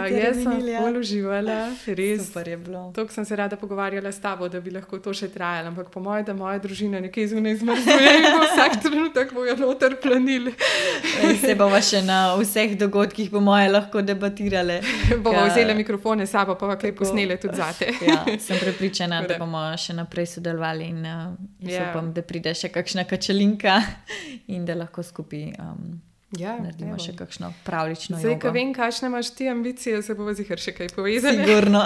Jaz sem ful uživala, res. Super je bilo. Toliko sem se rada pogovarjala s tabo, da bi lahko to še trajala, ampak po moje, da moja družina nekaj zunaj zmrzuje in bo vsak trenutek bojo noter planili. Se bomo še na vseh dogodkih po moje lahko debatirale. Bomo vzeli mikrofone s sabo, pa kaj posnele tudi zate. Sem prepričana, da bomo še naprej sodelovali in jaz upam, da pride še kakšna kačelinka in da lahko skupaj naredimo še kakšno pravlično jogo. Zdaj, ko vem, kakšne imaš ti ambicije, se bomo zihar še kaj povezali. Sigurno.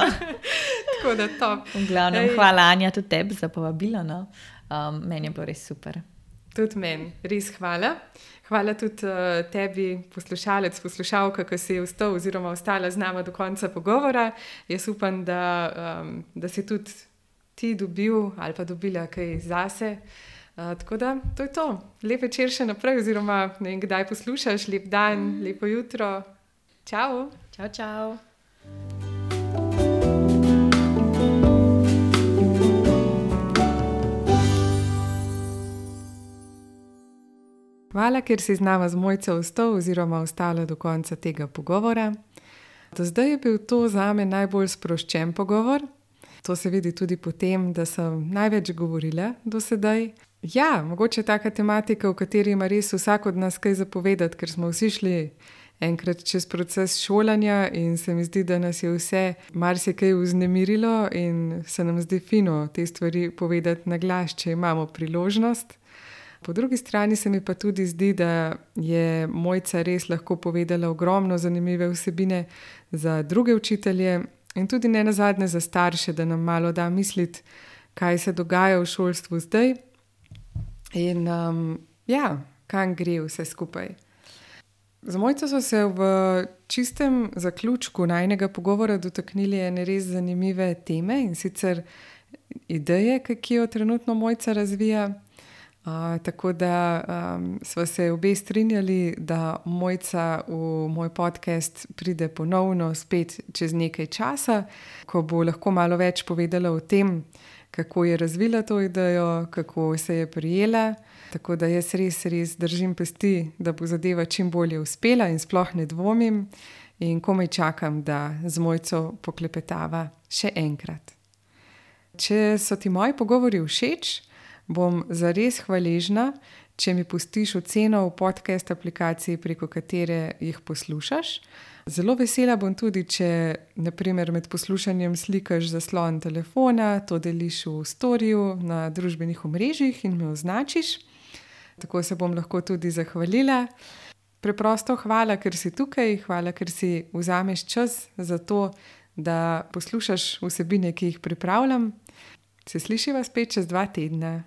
Tako da top. V glavnem, hvala Anja tudi tebi za povabilo. Meni je bilo res super. Tudi meni, res hvala. Hvala tudi tebi, poslušalec, poslušalka, ki si ostal oziroma ostala z nama do konca pogovora. Jaz upam, da si tudi ti dobil ali pa dobila kaj zase. Tako da, to je to. Lep večer še naprej, oziroma ne vem, kdaj poslušaš. Lep dan, lepo jutro. Čau. Čau, čau. Hvala, ker si z nama z Mojco ostal oziroma ostala do konca tega pogovora. Do zdaj je bil to zame najbolj sproščen pogovor. To se vidi tudi po tem, da sem največ govorila do sedaj. Mogoče taka tematika, v kateri ima res vsak od nas kaj zapovedati, ker smo vsi šli enkrat čez proces šolanja in se mi zdi, da nas je vse marsikaj vznemirilo in se nam zdi fino te stvari povedati na glas, če imamo priložnost. Po drugi strani se mi pa tudi zdi, da je Mojca res lahko povedala ogromno zanimive vsebine za druge učitelje in tudi ne nazadnje za starše, da nam malo da misliti, kaj se dogaja v šolstvu zdaj. In kam gre vse skupaj. Z Mojco so se v čistem zaključku najinega pogovora dotaknili ene res zanimive teme in sicer ideje, ki jo trenutno Mojca razvija. Tako da sva se obe strinjali, da Mojca v moj podcast pride ponovno spet čez nekaj časa, ko bo lahko malo več povedala o tem, kako je razvila to idejo, kako se je prijela. Tako da jaz res držim pesti, da bo zadeva čim bolje uspela in sploh ne dvomim in komaj čakam, da z Mojco poklepetava še enkrat. Če so ti moji pogovori všeč, bom zares hvaležna, če mi pustiš oceno v podcast aplikaciji, preko katere jih poslušaš. Zelo vesela bom tudi, če na primer med poslušanjem slikaš zaslon telefona, to deliš v storiju na družbenih omrežjih in me označiš. Tako se bom lahko tudi zahvalila. Preprosto hvala, ker si tukaj, hvala, ker si vzameš čas za to, da poslušaš vsebine, ki jih pripravljam. Se slišiva spet čez 2 tedna.